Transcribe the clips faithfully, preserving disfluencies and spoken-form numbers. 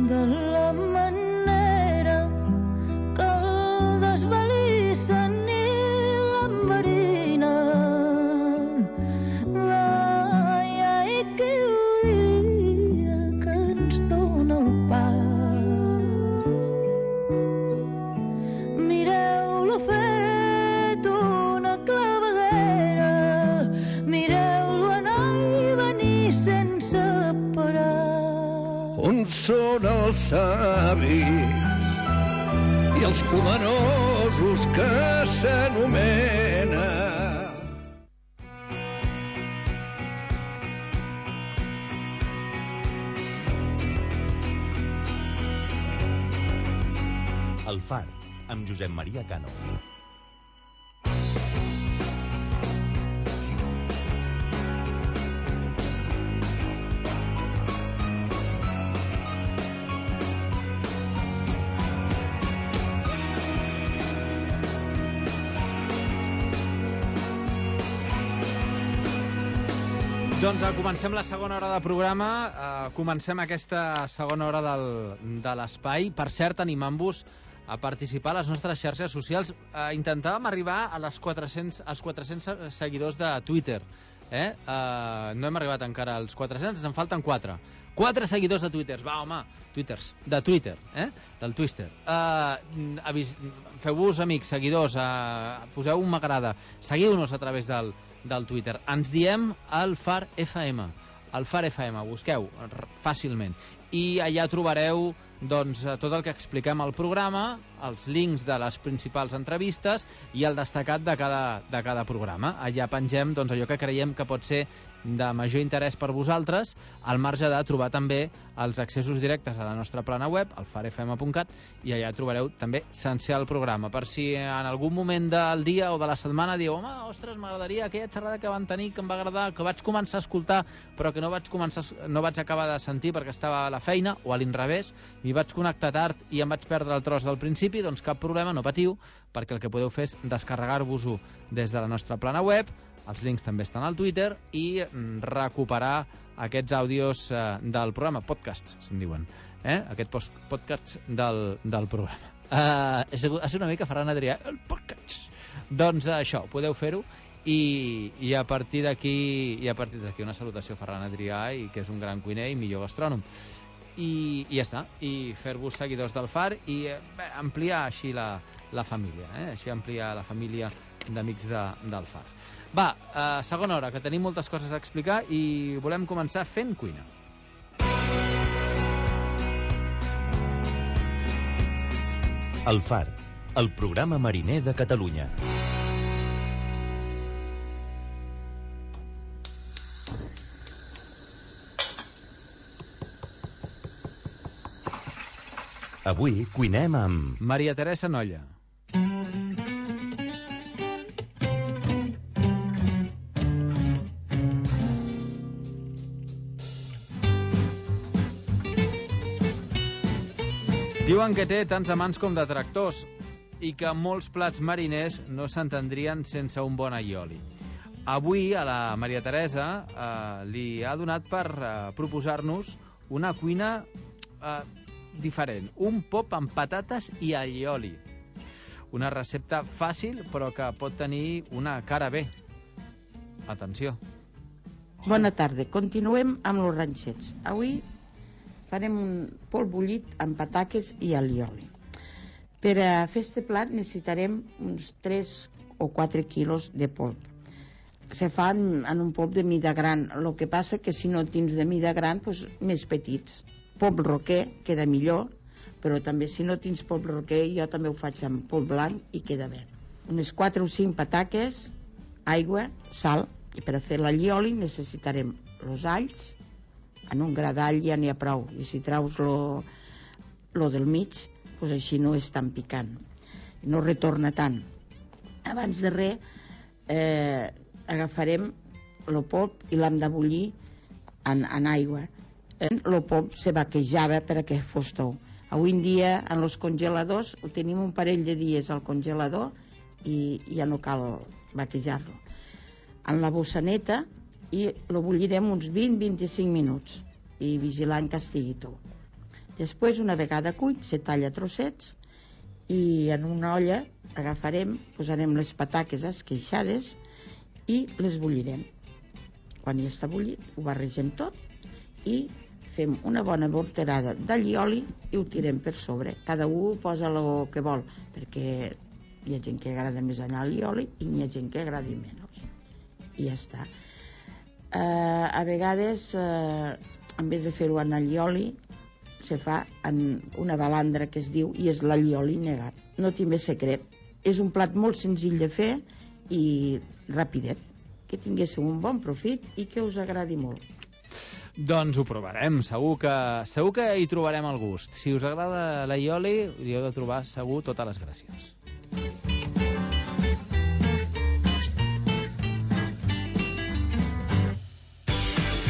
de la manera que el desvalissen i l'enverinen. Ai, ai, que dia que ens dóna el pa. Mireu-lo fet una claveguera, mireu-lo anar i venir sense parar. On són els savis i els poderosos que s'anomena? El Far, amb Josep Maria Cano. Doncs uh, comencem la segona hora de programa, uh, comencem aquesta segona hora del, de l'espai. Per cert, animant-vos a participar a les nostres xarxes socials. Uh, intentàvem arribar a les quatre-cents, als quatre-cents seguidors de Twitter. Eh? Uh, no hem arribat encara als quatre-cents, ens en falten quatre. quatre seguidors de Twitter. Va, home, Twitters, de Twitter, eh? Del Twitter. Uh, avis, feu-vos amics, seguidors, uh, poseu un m'agrada, seguiu-nos a través del, del Twitter. Ens diem el Far F M. El Far F M, busqueu fàcilment. I allà trobareu doncs, tot el que expliquem al programa, els links de les principals entrevistes i el destacat de cada, de cada programa. Allà pengem doncs, allò que creiem que pot ser de major interès per vosaltres, al marge de trobar també els accessos directes a la nostra plana web, el far f m punt cat, i allà trobareu també sencer el programa. Per si en algun moment del dia o de la setmana dieu, home, ostres, m'agradaria aquella xerrada que van tenir, que em va agradar, que vaig començar a escoltar, però que no vaig, començar, no vaig acabar de sentir perquè estava a la feina, o a l'inrevés, m'hi vaig connectar tard i em vaig perdre el tros del principi, doncs cap problema, no patiu, perquè el que podeu fer és descarregar-vos-ho des de la nostra plana web, els links també estan al Twitter, i recuperar aquests àudios eh, del programa, podcasts, se'n diuen, eh? Aquest post podcast del, del programa. Uh, és, és una mica Ferran Adrià, el podcast. Doncs uh, això, podeu fer-ho, i, i a partir d'aquí i a partir d'aquí una salutació a Ferran Adrià, i que és un gran cuiner i millor gastrònom. I, i ja està, i fer-vos seguidors del Far i bé, ampliar així la, la família, eh? Així ampliar la família d'amics de, del Far. Va, eh, segona hora, que tenim moltes coses a explicar i volem començar fent cuina. El Far, el programa mariner de Catalunya. Avui cuinem amb... Maria Teresa Nolla. Diuen que té tants amants com detractors i que molts plats mariners no s'entendrien sense un bon aioli. Avui a la Maria Teresa eh, li ha donat per eh, proposar-nos una cuina eh, diferent, un pop amb patates i allioli. Una recepta fàcil però que pot tenir una cara bé. Atenció. Bona tarda, continuem amb els ranxets. Avui farem un polp bullit amb pataques i allioli. Per a fer este plat necessitarem uns tres o quatre quilos de polp. Se fan en un polp de mida gran, el que passa que si no tens de mida gran, doncs més petits. Polp roquer queda millor, però també si no tens polp roquer, jo també ho faig amb polp blanc i queda bé. Unes quatre o cinc pataques, aigua, sal, i per a fer l'allioli necessitarem els alls. En un gra d'all ja n'hi ha prou, i si traus lo, lo del mig, doncs així no és tan picant, no retorna tant. Abans de res eh, agafarem el polp i l'hem de bullir en, en aigua. El polp se vaquejava perquè fos tou. Avui en dia en els congeladors ho tenim un parell de dies al congelador i ja no cal vaquejar-lo. En la bossaneta i lo bullirem uns vint a vint-i-cinc minuts i vigilant que estigui tou. Després, una vegada cuit, se talla a trossets i en una olla agafarem, posarem les pataques esqueixades i les bullirem. Quan ja està bullit, ho barregem tot i fem una bona morterada d'allioli i ho tirem per sobre. Cada un posa el que vol, perquè hi ha gent que agrada més l'allioli i hi ha gent que agradi menys. I ja està. Uh, a vegades, uh, en vez de fer-ho en allioli, se fa en una balandra que es diu, i és l'allioli negat. No té més secret. És un plat molt senzill de fer i rapidet. Que tinguéssiu un bon profit i que us agradi molt. Doncs ho provarem, segur que, segur que hi trobarem el gust. Si us agrada l'allioli, hi heu de trobar segur totes les gràcies.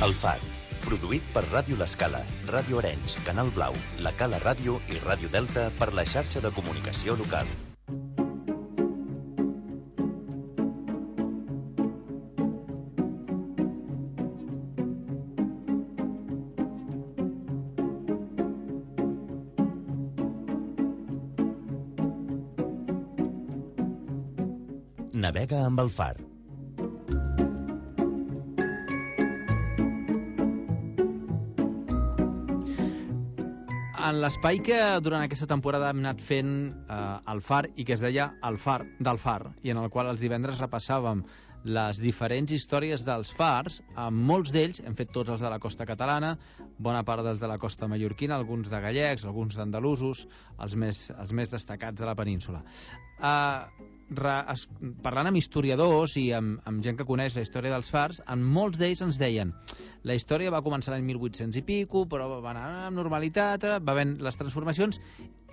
El Far, produït per Ràdio L'Escala, Ràdio Arenys, Canal Blau, La Cala Ràdio i Ràdio Delta per la xarxa de comunicació local. Navega amb el Far. En l'espai que durant aquesta temporada hem anat fent eh, el Far i que es deia el Far del Far, i en el qual els divendres repassàvem les diferents històries dels fars, amb molts d'ells hem fet tots els de la costa catalana, bona part dels de la costa mallorquina, alguns de gallecs, alguns d'andalusos, els més, els més destacats de la península. Uh, re, es, parlant amb historiadors i amb, amb gent que coneix la història dels fars, en molts d'ells ens deien la història va començar l'any mil vuit-cents i pico, però va anar amb normalitat, va havent les transformacions,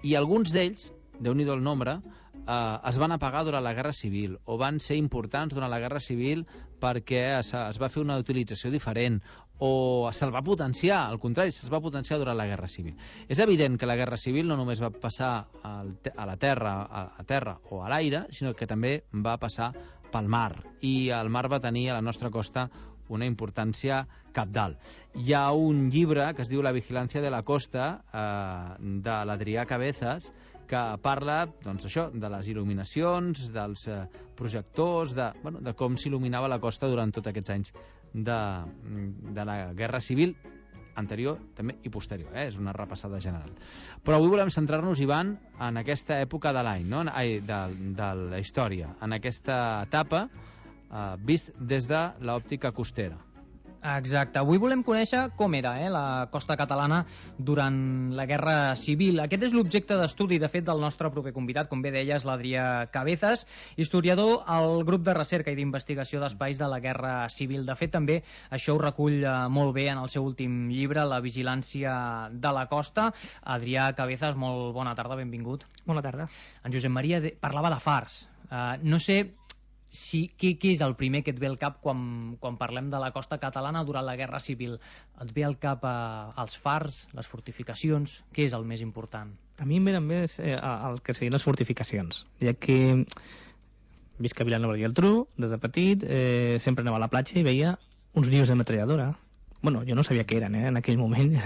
i alguns d'ells, déu-n'hi-do el nombre, eh, es van apagar durant la Guerra Civil o van ser importants durant la Guerra Civil perquè es, es va fer una utilització diferent o se'l va potenciar, al contrari, se'ls va potenciar durant la Guerra Civil. És evident que la Guerra Civil no només va passar al, a la terra, a, a terra o a l'aire, sinó que també va passar pel mar, i el mar va tenir a la nostra costa una importància cabdal. Hi ha un llibre que es diu La vigilància de la costa, eh, de l'Adrià Cabezas, que parla, doncs, això, de les il·luminacions, dels eh, projectors, de, bueno, de com s'il·luminava la costa durant tots aquests anys de, de la Guerra Civil anterior també i posterior, eh? És una repassada general. Però avui volem centrar-nos, Ivan, en aquesta època de l'any, no? Ai, de, de la història, en aquesta etapa eh, vist des de l'òptica costera. Exacte. Avui volem conèixer com era eh, la costa catalana durant la Guerra Civil. Aquest és l'objecte d'estudi, de fet, del nostre proper convidat, com bé deies, l'Adrià Cabezas, historiador al grup de recerca i d'investigació d'espais de la Guerra Civil. De fet, també això ho recull eh, molt bé en el seu últim llibre, La vigilància de la costa. Adrià Cabezas, molt bona tarda, benvingut. Bona tarda. En Josep Maria de... parlava de fars. Uh, no sé... Sí, què, què és el primer que et ve al cap quan, quan parlem de la costa catalana durant la Guerra Civil? Et ve al cap eh, els fars, les fortificacions? Què és el més important? A mi em venen més eh, el que serien les fortificacions, ja que visc a Vilanova i Geltrú, des de petit, eh, sempre anava a la platja i veia uns nius de metralladora. Bueno, jo no sabia què eren eh, en aquell moment,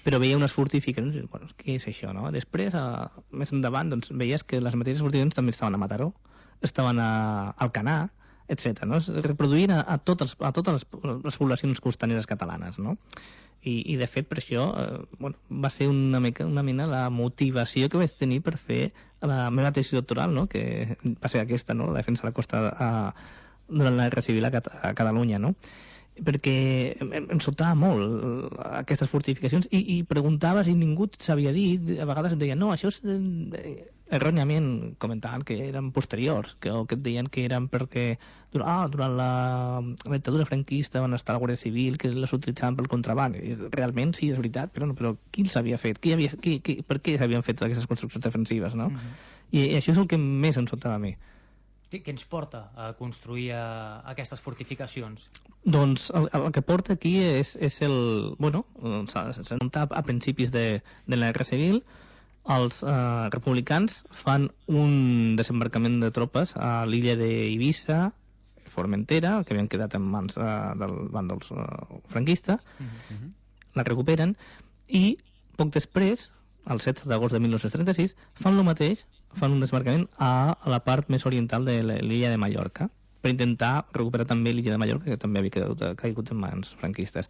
però veia unes fortificacions, bueno, què és això, no? Després, eh, més endavant, doncs, veies que les mateixes fortificacions també estaven a Mataró, estaven a Alcanar, etcètera. No? Es reproduïen a, a, totes, a totes les, les poblacions costaneres catalanes, no? I, i de fet per això eh, bueno, va ser una, mica, una mena la motivació que vaig tenir per fer la meva tesi doctoral, no? Que va ser aquesta, no? La defensa de la costa a, durant la Guerra Civil a, Cat a Catalunya, no? Perquè em, em sobtava molt aquestes fortificacions i, i preguntaves i ningú sabia dir, a vegades em deien no, això és eh, erròniament comentaven que eren posteriors, que, o que et deien que eren perquè durant, ah, durant la, la dictadura franquista van estar a la Guàrdia Civil, que les utilitzaven pel contraban. I realment sí, és veritat, però, no, però qui els havia fet? Qui havia, qui, qui, per què s'havien fet aquestes construccions defensives, no? Uh-huh. I, I això és el que més em sobtava a mi. Què ens porta a construir a aquestes fortificacions? Doncs el, el que porta aquí és, és el... Bueno, s'ha notat a principis de, de la Guerra Civil, els eh, republicans fan un desembarcament de tropes a l'illa d'Eivissa, Formentera, que havien quedat en mans eh, del bàndols eh, franquista, uh-huh. la recuperen i poc després, el set d'agost de mil nou-cents trenta-sis, fan el mateix, fan un desembarcament a la part més oriental de l'illa de Mallorca, per intentar recuperar també l'illa de Mallorca, que també havia quedat, caigut en mans franquistes.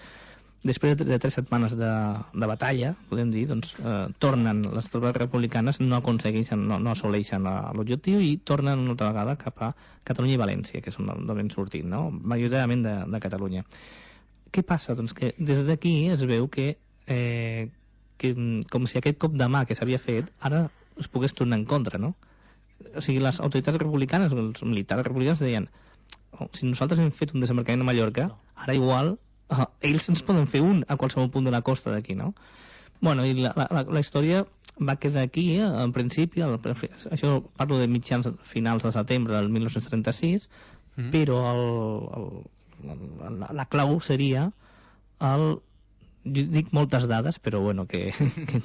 Després de tres setmanes de, de batalla, podem dir, doncs, eh, tornen, les tropes republicanes no aconsegueixen, no, no assoleixen l'objectiu i tornen una altra vegada cap a Catalunya i València, que és on han sortit, no? Majoritàriament de, de Catalunya. Què passa? Doncs que des d'aquí es veu que, eh, que com si aquest cop de mà que s'havia fet ara es pogués tornar en contra, no? O sigui, les autoritats republicanes, els militars republicans deien, oh, si nosaltres hem fet un desembarcament a Mallorca, ara igual uh, ells ens poden fer un a qualsevol punt de la costa d'aquí, no? Bueno, i la, la, la història va quedar aquí, eh, en principi, el, això parlo de mitjans finals de setembre del mil nou-cents trenta-sis, mm. però el, el, la, la clau seria el jo dic moltes dades, però bueno, que, que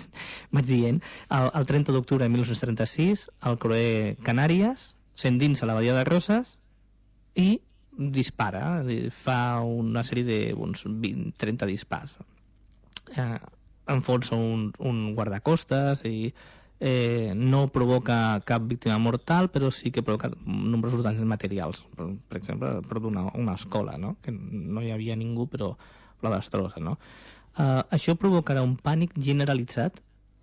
vaig dient, el, el trenta d'octubre de mil nou-cents trenta-sis, el creuer Canàries s'endinsa a la badia de Roses i dispara, fa una sèrie de uns vint a trenta dispars. Eh, enfonsa un, un guardacostes i eh, no provoca cap víctima mortal, però sí que provoca nombrosos danys materials. Per, per exemple, per una, una escola, no? Que no hi havia ningú, però la destrossa, no? Uh, això provocarà un pànic generalitzat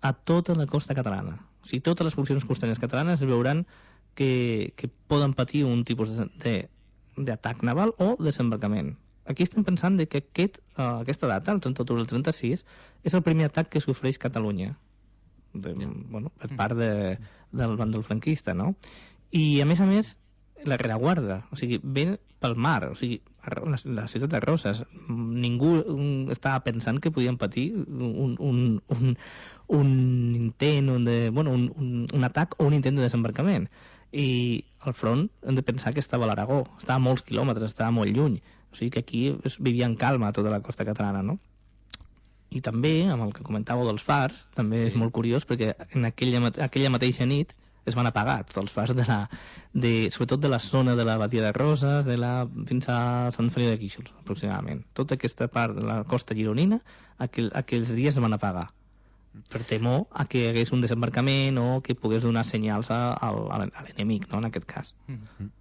a tota la costa catalana. O sigui, totes les poblacions costaneres catalanes veuran que, que poden patir un tipus d'atac naval o desembarcament. Aquí estem pensant de que aquest, uh, aquesta data, el trenta d'octubre del trenta-sis, és el primer atac que sofreix Catalunya de, bueno, per part de, del bàndol franquista, no? I, a més a més, la rereguarda, o sigui, ve pel mar, o sigui, la, la ciutat de Roses, ningú estava pensant que podien patir un, un, un, un intent, un, de, bueno, un, un, un atac o un intent de desembarcament. I al front hem de pensar que estava a l'Aragó, estava a molts quilòmetres, estava molt lluny, o sigui que aquí es vivia en calma tota la costa catalana, no? I també, amb el que comentàveu dels fars, també sí. És molt curiós perquè en aquella, aquella mateixa nit es van apagar tots els fars de la, de, sobretot de la zona de la Badia de Roses, de la, fins a Sant Feliu de Guíxols, aproximadament. Tota aquesta part de la costa gironina, aquell, aquells dies es van apagar, per temor a que hi hagués un desembarcament o que pogués donar senyals a, a, a l'enemic, no?, en aquest cas. Mm-hmm.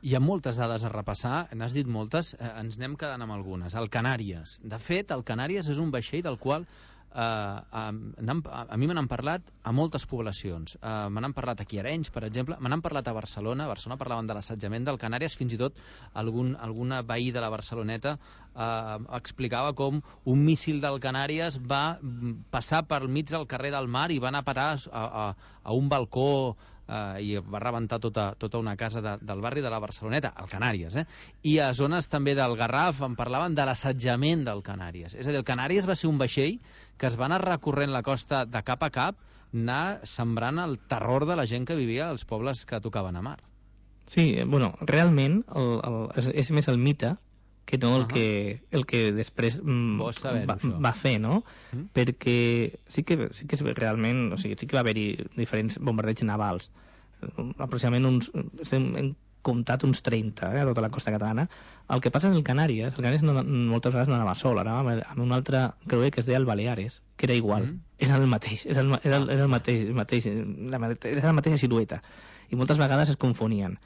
Hi ha moltes dades a repassar, n'has dit moltes, eh, ens anem quedant amb algunes. El Canàries. De fet, el Canàries és un vaixell del qual Uh, a, a mi me n'han parlat a moltes poblacions, uh, me n'han parlat aquí a Arenys, per exemple, me n'han parlat a Barcelona. A Barcelona parlaven de l'assetjament del Canàries, fins i tot algun, alguna veí de la Barceloneta uh, explicava com un míssil del Canàries va passar per mig del carrer del Mar i va anar a parar a, a, a un balcó Uh, i va rebentar tota, tota una casa de, del barri de la Barceloneta, al Canàries, eh? I a zones també del Garraf en parlaven de l'assetjament del Canàries. És a dir, el Canàries va ser un vaixell que es va anar recorrent la costa de cap a cap, anar sembrant el terror de la gent que vivia als pobles que tocaven a mar. Sí, bueno, realment el, el, és, és més el mite que no el, uh -huh. que, el que després mm, va, va fer, no? Mm. Perquè sí que, sí que és realment, o sigui, sí que va haver-hi diferents bombardeigs navals. Aproximadament uns, hem, hem comptat uns trenta, eh, a tota la costa catalana. El que passa és el Canàries, el Canàries no, moltes vegades no anava sol, anava amb un altre creuer que es deia el Baleares, que era igual, mm. era el mateix, era, el, era, el, era el mateix, el mateix la, era la mateixa silueta, i moltes vegades es confonien.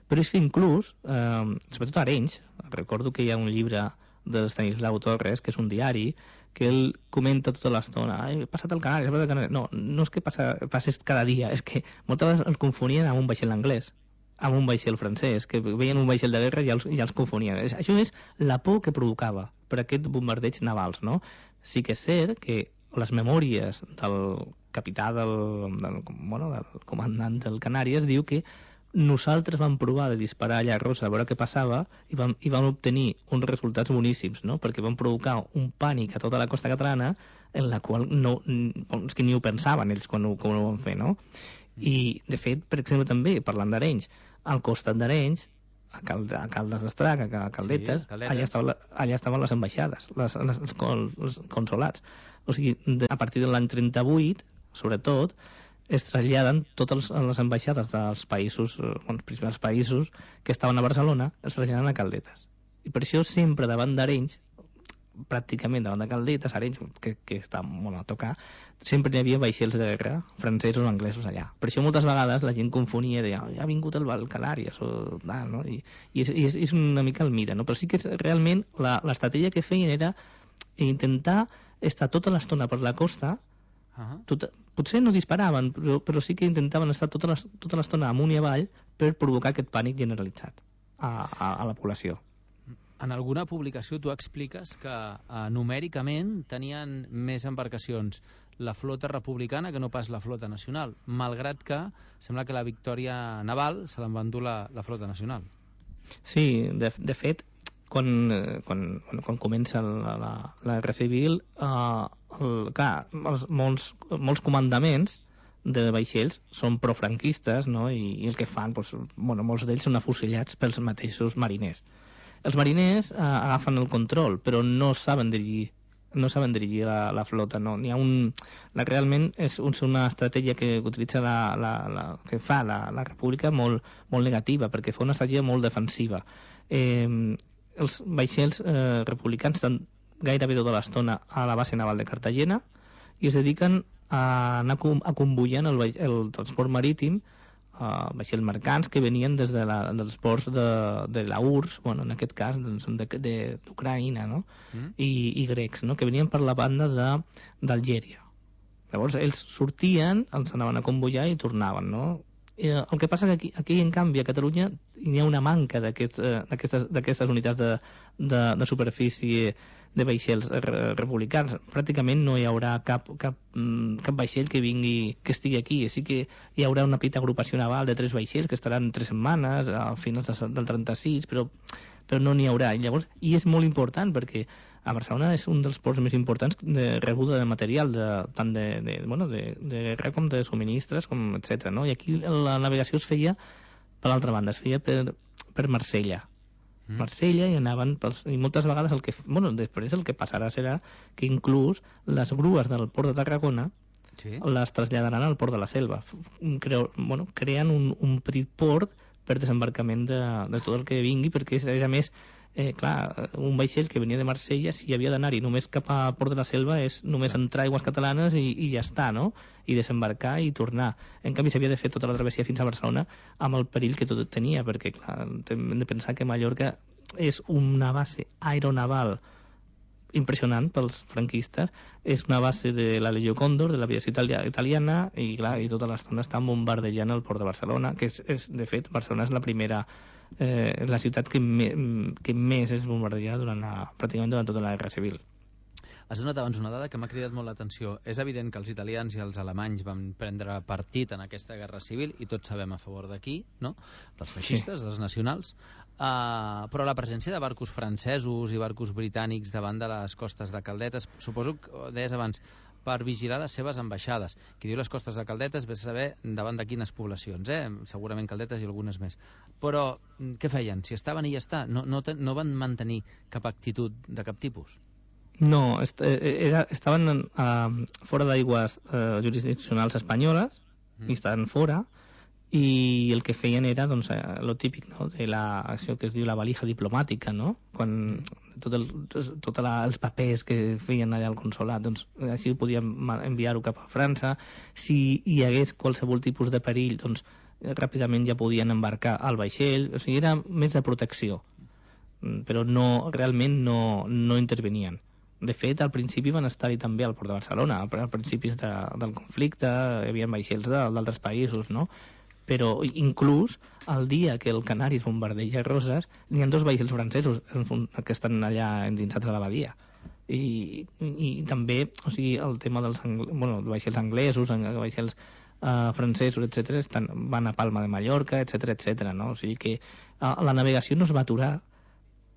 Però és que inclús, eh, sobretot a Arenys, recordo que hi ha un llibre de Estanislau Torres, que és un diari, que ell comenta tota l'estona, he passat el Canàries, he passat el Canàries. No, no és que passa, passes cada dia, és que moltes vegades el confonien amb un vaixell anglès, amb un vaixell francès, que veien un vaixell de guerra i els, i els confonien. Això és la por que provocava per aquests bombardeigs navals, no? Sí que és cert que les memòries del capità del, del, bueno, del comandant del Canàries diu que nosaltres vam provar de disparar allà a Rosa a veure què passava i vam, i vam obtenir uns resultats boníssims, no? Perquè vam provocar un pànic a tota la costa catalana en la qual no, és que ni ho pensaven ells quan ho, quan ho van fer, no? I, de fet, per exemple, també, parlant d'Arenys, al costat d'Arenys, a, Cal, a Caldes d'Estrac, a Caldetes, sí, allà, estava, allà estaven les ambaixades, les, les, els, els consolats. O sigui, de, a partir de l'any trenta-vuit, sobretot, es traslladen totes les ambaixades dels països, els principals països que estaven a Barcelona, es traslladen a Caldetes. I per això sempre davant d'Arenys pràcticament davant de Caldetes, Arenys, que, que està molt a tocar, sempre hi havia vaixells de guerra francesos o anglesos allà. Per això moltes vegades la gent confonia, deia, oh, ja ha vingut el Canàries, o tal, no? I, i, és, i és, és una mica el mite, no? Però sí que realment l'estratègia que feien era intentar estar tota l'estona per la costa. Uh-huh. Tot, potser no disparaven, però, però sí que intentaven estar tota l'estona amunt i avall per provocar aquest pànic generalitzat a, a, a la població. En alguna publicació tu expliques que eh, numèricament tenien més embarcacions la flota republicana que no pas la flota nacional, malgrat que sembla que la victòria naval se l'en va endur la, la flota nacional. Sí, de, de fet, quan, quan, quan comença la, la, la Guerra Civil, eh, el, clar, els, molts, molts comandaments de vaixells són profranquistes, no? I, i el que fan, doncs, bueno, molts d'ells són afusellats pels mateixos mariners. Els mariners eh, agafen el control, però no saben dirigir, no saben dirigir la, la flota, no. N'hi ha un, la, realment és una estratègia que utilitza la, la, la, que fa la, la República molt, molt negativa, perquè fa una estratègia molt defensiva. Eh, els vaixells eh, republicans estan gairebé tota l'estona a la base naval de Cartagena i es dediquen a anar a convoiant el, el transport marítim, uh, vaixells mercants que venien des de la, dels ports de, de la U R S S, bueno, en aquest cas d'Ucraïna, no? Mm. I, i grecs, no? Que venien per la banda d'Algèria. Llavors ells sortien, els anaven a convoiar i tornaven, no? Eh, el que passa que aquí, aquí en canvi a Catalunya hi ha una manca d'aquestes aquest, unitats de, de, de superfície de vaixells republicans. Pràcticament no hi haurà cap, cap, cap vaixell que vingui, que estigui aquí. Sí que hi haurà una petita agrupació naval de tres vaixells que estaran tres setmanes a finals del trenta-sis, però, però no n'hi haurà. I llavors, i és molt important perquè a Barcelona és un dels ports més importants de rebuda de material, de, tant de, de, bueno, de, de guerra com de subministres, com etcètera. No? I aquí la navegació es feia, per l'altra banda, es feia per, per Marsella. Mm. Marsella i anaven pels, i moltes vegades el que, bueno, després el que passarà serà que inclús les grues del port de Tarragona sí. les traslladaran al port de la Selva. Creu, bueno, creen un, un petit port per desembarcament de, de tot el que vingui, perquè era més Eh, clar, un vaixell que venia de Marsella, si havia d'anar-hi només cap a Port de la Selva és només entrar a aigües catalanes i, i ja està, no? I desembarcar i tornar. En canvi s'havia de fer tota la travessia fins a Barcelona amb el perill que tot tenia, perquè clar, hem de pensar que Mallorca és una base aeronaval impressionant pels franquistes, és una base de la Legió Còndor, de l'aviació italiana, i clar, i tota l'estona està bombardejant el port de Barcelona, que és, és de fet, Barcelona és la primera Eh, la ciutat que, me, que més és bombardejada durant la, pràcticament durant tota la Guerra Civil. Has donat abans una dada que m'ha cridat molt l'atenció. És evident que els italians i els alemanys van prendre partit en aquesta Guerra Civil i tots sabem a favor d'aquí, no? Dels feixistes, sí. Dels nacionals, uh, però la presència de barcos francesos i barcos britànics davant de les costes de Caldetes, suposo que deies abans, per vigilar les seves ambaixades. Qui diu les costes de Caldetes vés a saber davant de quines poblacions, eh? Segurament Caldetes i algunes més. Però què feien? Si estaven i ja està, no, no, no van mantenir cap actitud de cap tipus? No, est era, estaven uh, fora d'aigües uh, jurisdiccionals espanyoles, mm. i estaven fora, i el que feien era doncs, lo típic, no? De la, això que es diu la valija diplomàtica, no? Quan tots el, tot la, els papers que feien allà al consolat, doncs així podíem enviar-ho cap a França. Si hi hagués qualsevol tipus de perill, doncs ràpidament ja podien embarcar al vaixell. O sigui, era més de protecció, però no, realment no, no intervenien. De fet, al principi van estar-hi també al port de Barcelona, al principis de, del conflicte, hi havia vaixells d'altres països, no? Però inclús el dia que el Canàries bombardeja Roses n'hi ha dos vaixells francesos que estan allà endinsats a la badia. I, i, i també, o sigui, el tema dels bueno, vaixells anglesos, vaixells uh, francesos, etcètera, estan, van a Palma de Mallorca, etcètera, etcètera, no? O sigui que uh, la navegació no es va aturar,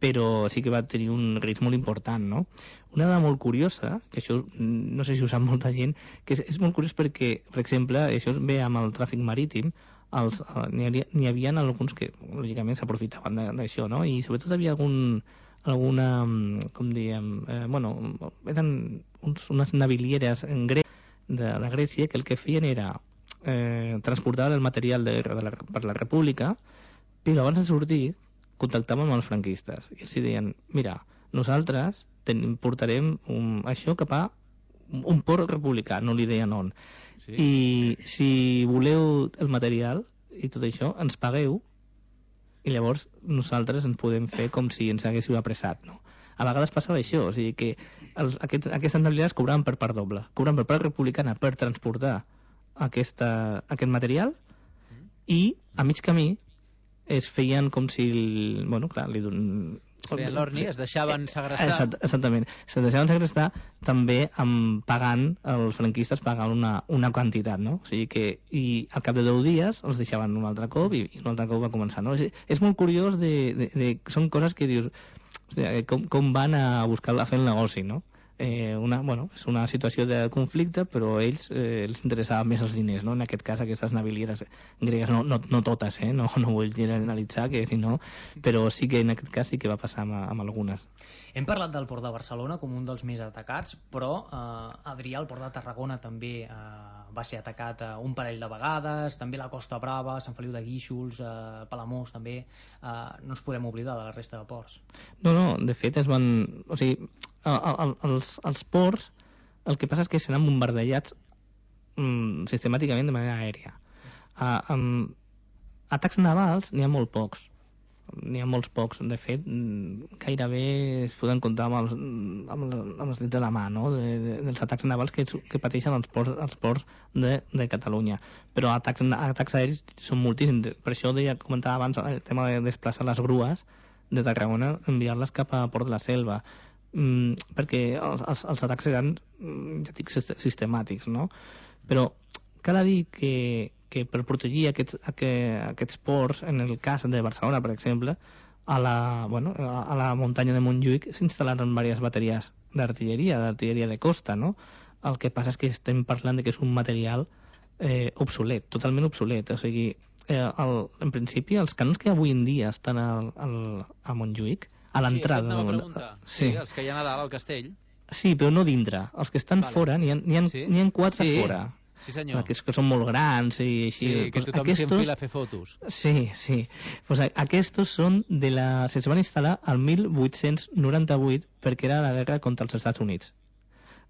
però sí que va tenir un risc molt important, no? Una dada molt curiosa, que això no sé si ho sap molta gent, que és, és molt curiós perquè, per exemple, això ve amb el tràfic marítim, els, n'hi havia, n'hi havia alguns que lògicament s'aprofitaven d'això, no? I sobretot hi havia algun, alguna, com diem, eh, bueno, eren uns, unes navilieres en grec de, de Grècia que el que feien era eh, transportar el material de, de la, per la República, però abans de sortir contactàvem amb els franquistes i els deien, mira, nosaltres ten, portarem un, això cap a un port republicà, no li deien on. Sí. I si voleu el material i tot això, ens pagueu i llavors nosaltres ens podem fer com si ens haguéssiu apressat, no? A vegades passava això, o sigui que els, aquest, aquestes navileres cobraven per part doble, cobraven per part republicana per transportar aquesta, aquest material i a mig camí es feien com si el, bueno, clar, li don... es feien l'orni, es deixaven segrestar. Exact, exactament, es deixaven segrestar també amb pagant, els franquistes pagant una, una quantitat, no? O sigui que, i al cap de deu dies els deixaven un altre cop i, i un altre cop va començar, no? És, és molt curiós de, de, de, són coses que dius, hòstia, com, com van a buscar a fer el negoci, no? Eh, una, bueno, és una situació de conflicte, però a ells eh, els interessaven més els diners, no? En aquest cas, aquestes navilieres gregues, no, no, no totes, eh? no, no vull generalitzar, que si no, però sí que en aquest cas sí que va passar amb, amb algunes. Hem parlat del Port de Barcelona com un dels més atacats, però eh, Adrià, el Port de Tarragona també eh, va ser atacat eh, un parell de vegades, també la Costa Brava, Sant Feliu de Guíxols, eh, Palamós també, eh, no ens podem oblidar de la resta de ports. No, no, de fet es van... O sigui, el, el, els, els ports, el que passa és que seran bombardejats mm, sistemàticament de manera aèria. Uh, um, atacs navals n'hi ha molt pocs. N'hi ha molts pocs. De fet, gairebé es poden comptar amb els, amb, amb els dits de la mà, no? de, de, dels atacs navals que, que pateixen els ports, els ports de, de Catalunya. Però atacs, atacs aèris són moltíssims. Per això deia, comentava abans el tema de desplaçar les grues de Tarragona, enviar-les cap a Port de la Selva. Mm, perquè els, els, els atacs eren, ja dic, sistemàtics, no? Però cal dir que, que per protegir aquests, aquests ports, en el cas de Barcelona, per exemple, a la, bueno, a la muntanya de Montjuïc s'instal·laran diverses bateries d'artilleria, d'artilleria de costa, no? El que passa és que estem parlant de que és un material eh, obsolet, totalment obsolet, o sigui, eh, el, en principi els canons que avui en dia estan al, al, a Montjuïc, a l'entrada. Sí, això sí. Sí, els que hi ha a dalt al castell. Sí, però no dintre. Els que estan vale. Fora, n'hi ha, ha, sí? ha quatre sí. fora. Sí, senyor. Que, que són molt grans i així. Sí, que pues tothom aquestos... s'enfila a fer fotos. Sí, sí. Pues aquests són de la... Se van instal·lar al mil vuit-cents noranta-vuit perquè era la guerra contra els Estats Units.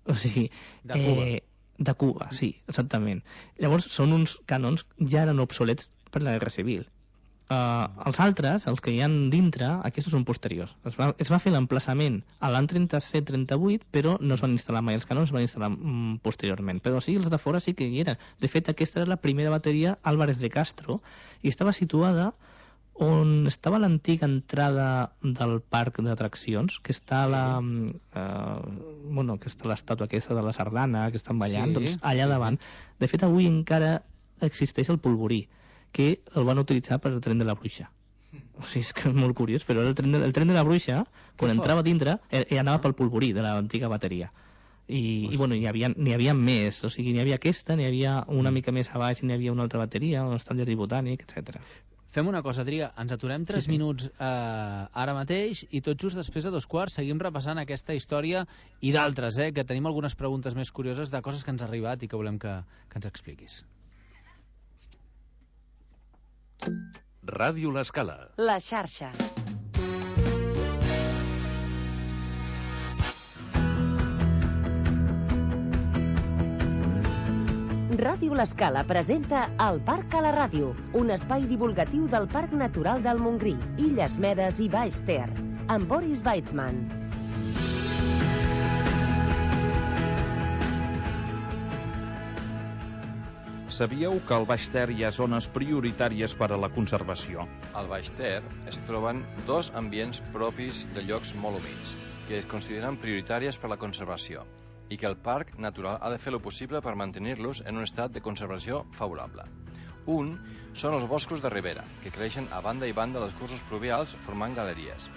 O sigui... De Cuba. Eh, de Cuba, sí, exactament. Llavors són uns canons ja eren obsolets per la guerra civil. Uh, els altres, els que hi ha dintre, aquests són posteriors. Es va, es va fer l'emplaçament a l'any trenta-set trenta-vuit, però no es van instal·lar mai els canons, es van instal·lar mm, posteriorment. Però sí, els de fora sí que hi eren. De fet, aquesta era la primera bateria Álvarez de Castro i estava situada on estava l'antiga entrada del parc d'atraccions, que està la, uh, bueno, que està l'estàtua aquesta de la sardana, que estan ballant, sí, doncs allà sí. davant. De fet, avui encara existeix el polvorí, que el van utilitzar per el tren de la Bruixa. O sigui, és que és molt curiós, però el tren de, el tren de la Bruixa, quan entrava dintre, eh, anava pel polvorí de l'antiga bateria. I, i bueno, n'hi havia, n'hi havia més, o sigui, n'hi havia aquesta, n'hi havia una mica més a baix, n'hi havia una altra bateria, on està el jardí botànic, etcètera. Fem una cosa, Adrià, ens aturem tres sí, sí. minuts eh, ara mateix i tot just després de dos quarts seguim repassant aquesta història i d'altres, eh, que tenim algunes preguntes més curioses de coses que ens han arribat i que volem que, que ens expliquis. Ràdio L'Escala. La xarxa. Ràdio L'Escala presenta El Parc a la Ràdio, un espai divulgatiu del Parc Natural del Montgrí, Illes Medes i Baix Ter, amb Boris Weitzman. Sabíeu que al Baix Ter hi ha zones prioritàries per a la conservació? Al Baix Ter es troben dos ambients propis de llocs molt humits, que es consideren prioritàries per a la conservació, i que el Parc Natural ha de fer el possible per mantenir-los en un estat de conservació favorable. Un són els boscos de ribera, que creixen a banda i banda dels cursos pluvials formant galeries.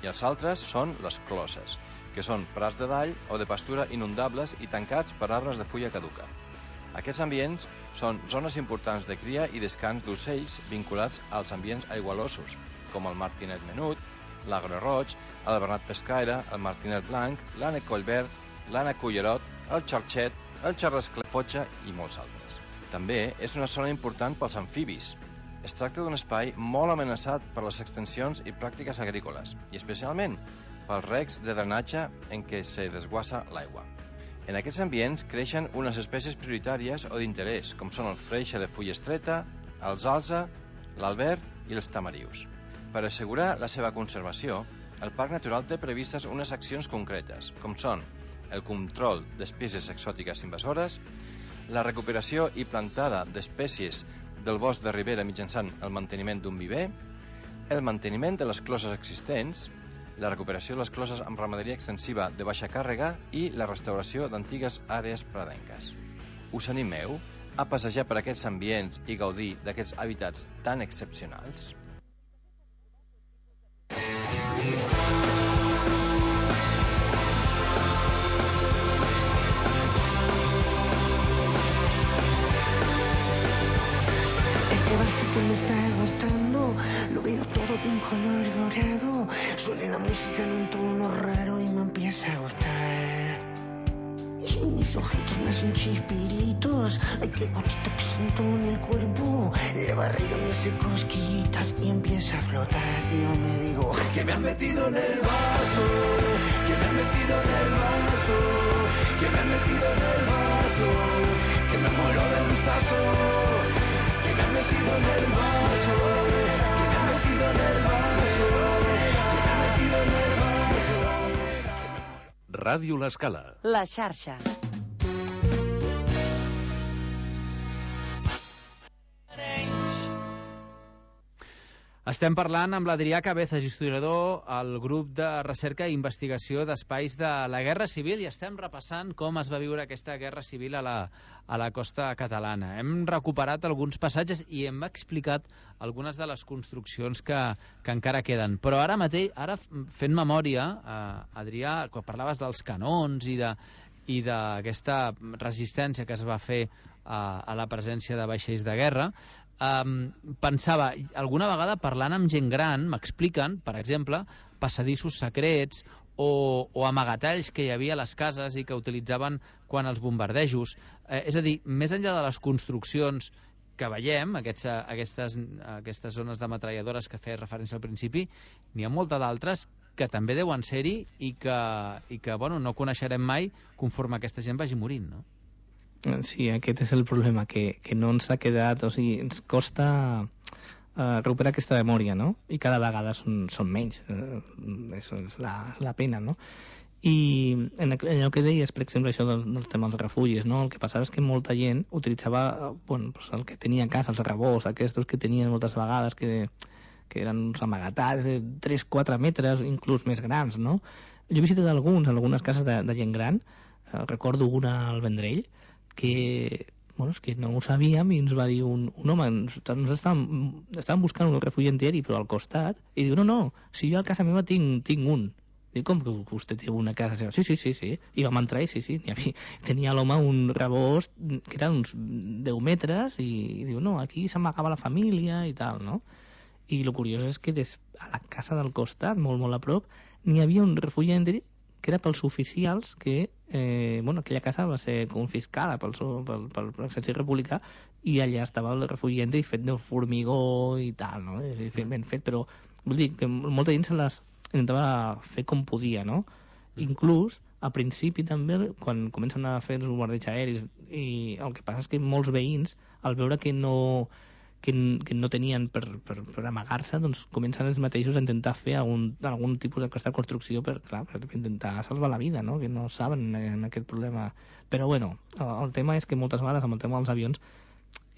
I els altres són les closes, que són prats de dall o de pastura inundables i tancats per arbres de fulla caduca. Aquests ambients són zones importants de cria i descans d'ocells vinculats als ambients aigualosos, com el martinet menut, l'agre roig, el bernat pescaire, el martinet blanc, l'ànec collverd, l'ànec cullerot, el xarxet, el xarrascler fotxa i molts altres. També és una zona important pels amfibis. Es tracta d'un espai molt amenaçat per les extensions i pràctiques agrícoles, i especialment pels recs de drenatge en què se desguassa l'aigua. En aquests ambients creixen unes espècies prioritàries o d'interès, com són el freixe de fulla estreta, el zalza, l'albert i els tamarius. Per assegurar la seva conservació, el Parc Natural té previstes unes accions concretes, com són el control d'espècies exòtiques invasores, la recuperació i plantada d'espècies del bosc de ribera mitjançant el manteniment d'un viver, el manteniment de les closes existents, la recuperació de les closes amb ramaderia extensiva de baixa càrrega i la restauració d'antigues àrees pradenques. Us animeu a passejar per aquests ambients i gaudir d'aquests hàbitats tan excepcionals? Este bar sí que me está gustando, lo veo todo de un color dorado, suena la música en un tono raro y me empieza a gustar. Y mis ojitos me hacen chispiritos, ay qué gotito que siento en el cuerpo, la barriga me hace cosquillitas y empieza a flotar. Y yo me digo, que me han metido en el vaso, que me han metido en el vaso, que me han metido en el vaso, que me muero de gustazo, que me han metido en el vaso, que me han metido en el vaso, que me han metido en el vaso. Ràdio L'Escala. La xarxa. Estem parlant amb l'Adrià Cabezas, historiador al grup de recerca i investigació d'espais de la Guerra Civil, i estem repassant com es va viure aquesta Guerra Civil a la, a la costa catalana. Hem recuperat alguns passatges i hem explicat algunes de les construccions que, que encara queden. Però ara mateix, ara fent memòria, eh, Adrià, quan parlaves dels canons i de i d'aquesta resistència que es va fer a, a la presència de vaixells de guerra, um, pensava, alguna vegada parlant amb gent gran, m'expliquen, per exemple, passadissos secrets o, o amagatalls que hi havia a les cases i que utilitzaven quan els bombardejos. Eh, és a dir, més enllà de les construccions que veiem, aquests, aquestes, aquestes zones de metralladores que feia referència al principi, n'hi ha molta d'altres que també deuen ser-hi i que, i que bueno, no coneixerem mai conforme aquesta gent vagi morint, no? Sí, aquest és el problema, que, que no ens ha quedat, o sigui, ens costa uh, recuperar aquesta memòria, no? I cada vegada són, són menys, uh, això és la, la pena, no? I en allò que deies, per exemple, això dels, dels temes dels refugis, no? El que passava és que molta gent utilitzava, bueno, pues el que tenia a casa, els rebots, aquests que tenien moltes vegades, que que eren uns amagatats de tres a quatre metres, inclús més grans, no? Jo he visitat alguns, algunes cases de, de gent gran, eh, recordo una al Vendrell, que, bueno, és que no ho sabíem i ens va dir un, un home, ens estàvem, estàvem buscant un refugi entieri, però al costat, i diu, no, no, si jo a casa meva tinc, tinc un. Dic, com que vostè té una casa seva? Sí, sí, sí, sí. I vam entrar i sí, sí, havia, tenia l'home un rebost que eren uns deu metres i, i diu, no, aquí s'amagava la família i tal, no? I el curiós és que des, a la casa del costat, molt, molt a prop, n'hi havia un refugi entieri que era pels oficials que, eh, bueno, aquella casa va ser confiscada pel, pel, pel, pel exèrcit republicà i allà estava el refugi entieri fet de formigó i tal, no? Ben fet, però vull dir que molta gent se les intentava fer com podia, no? Inclús, al principi també, quan comencen a fer els bombardeigs aeris, i el que passa és que molts veïns, al veure que no... Que, que no tenien per, per, per amagar-se, doncs comencen ells mateixos a intentar fer algun, algun tipus d'aquesta construcció per, clar, per intentar salvar la vida, no? Que no saben en aquest problema. Però bueno, el, el tema és que moltes vegades amb el tema dels avions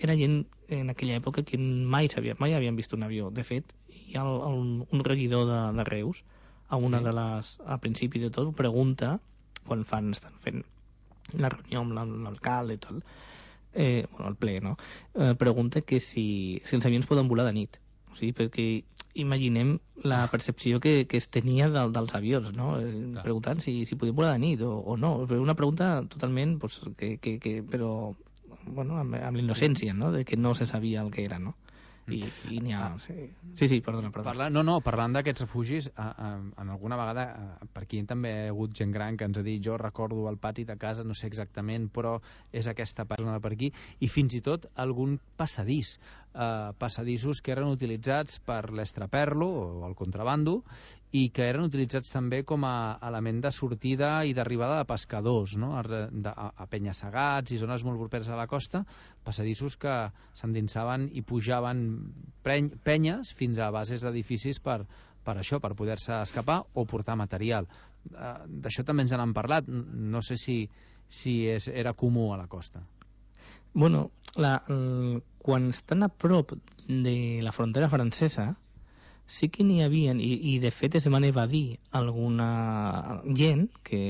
era gent en aquella època que mai sabia, mai havien vist un avió. De fet, hi ha el, el, un regidor de, de Reus, a una sí. de les, al principi de tot, pregunta, quan fan, estan fent la reunió amb l'alcalde i tot, Eh, bueno, el ple, no? Eh, pregunta que si, si els avions poden volar de nit. O sigui, perquè imaginem la percepció que, que es tenia del, dels avions, no? Eh, preguntant si, si podien volar de nit o, o no. Una pregunta totalment, pues, que, que, que, però, bueno, amb, amb l'innocència, no? De que no se sabia el que era, no? I, i n'hi ha... Sí, sí, sí perdona, perdona. Parla, no, no, parlant d'aquests refugis, a, a, en alguna vegada, a, per aquí també hi ha hagut gent gran que ens ha dit, jo recordo el pati de casa, no sé exactament, però és aquesta persona de per aquí, i fins i tot algun passadís, eh, passadissos que eren utilitzats per l'estraperlo o el contrabando, i que eren utilitzats també com a element de sortida i d'arribada de pescadors, no? a, de, a penya-segats i zones molt properes a la costa, passadissos que s'endinsaven i pujaven preny, penyes fins a bases d'edificis per, per això, per poder-se escapar o portar material. Uh, d'això també ens n'han parlat, no sé si, si és, era comú a la costa. Bueno, la, el, quan estan a prop de la frontera francesa, sí que n'hi havia, i, i de fet es van evadir alguna gent que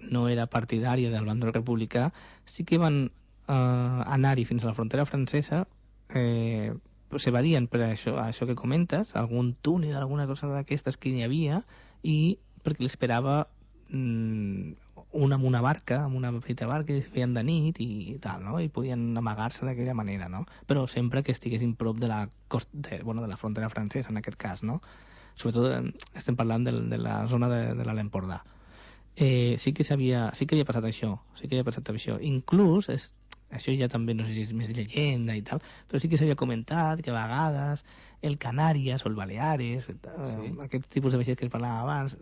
no era partidària del bàndol republicà, sí que van eh, anar-hi fins a la frontera francesa, eh, s'evadien per això, això que comentes, algun túnel, alguna cosa d'aquestes que hi havia, i perquè l'esperava mm, una amb una barca, amb una petita barca, i es feien de nit i, i tal, no? I podien amagar-se d'aquella manera, no? Però sempre que estiguessin prop de la costa, de, bueno, de la frontera francesa, en aquest cas, no? Sobretot estem parlant de, de la zona de, de l'Empordà. Eh, sí que s'havia, sí que havia passat això, sí que havia passat això. Inclús, és, això ja també no sé si és més llegenda i tal, però sí que s'havia comentat que a vegades el Canàries o el Baleares, sí. eh, aquest tipus de vaixells que es parlava abans,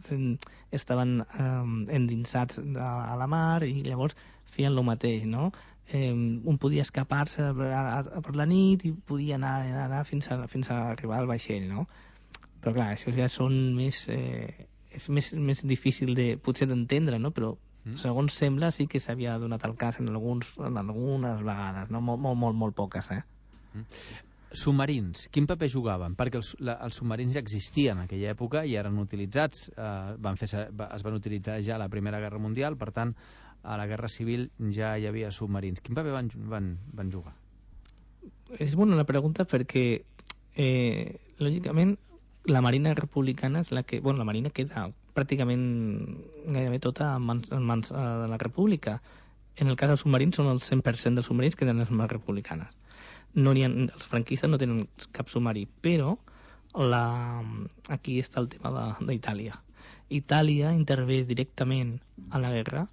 estaven eh, endinsats a, a la mar i llavors feien el mateix, no? Eh, un podia escapar-se per la nit i podia anar, anar fins, a, fins a arribar al vaixell, no? Però clar, això ja són més... Eh, és més, més difícil de, potser d'entendre, no? Però mm. segons sembla sí que s'havia donat el cas en, alguns, en algunes vegades, no? Molt, molt, molt, molt poques, eh? Mm. Submarins, quin paper jugaven? Perquè els, la, els submarins ja existien en aquella època i eren utilitzats, eh, van fer, es van utilitzar ja a la Primera Guerra Mundial, per tant, a la Guerra Civil ja hi havia submarins. Quin paper van, van, van jugar? És bona la pregunta perquè, eh, lògicament, la Marina Republicana és la que... Bueno, la Marina queda pràcticament gairebé tota en mans, en mans eh, de la República. En el cas dels submarins són el cent per cent dels submarins que tenen les mans republicanes. No ha, els franquistes no tenen cap submarí, però la, aquí està el tema d'Itàlia. Itàlia intervé directament a la guerra.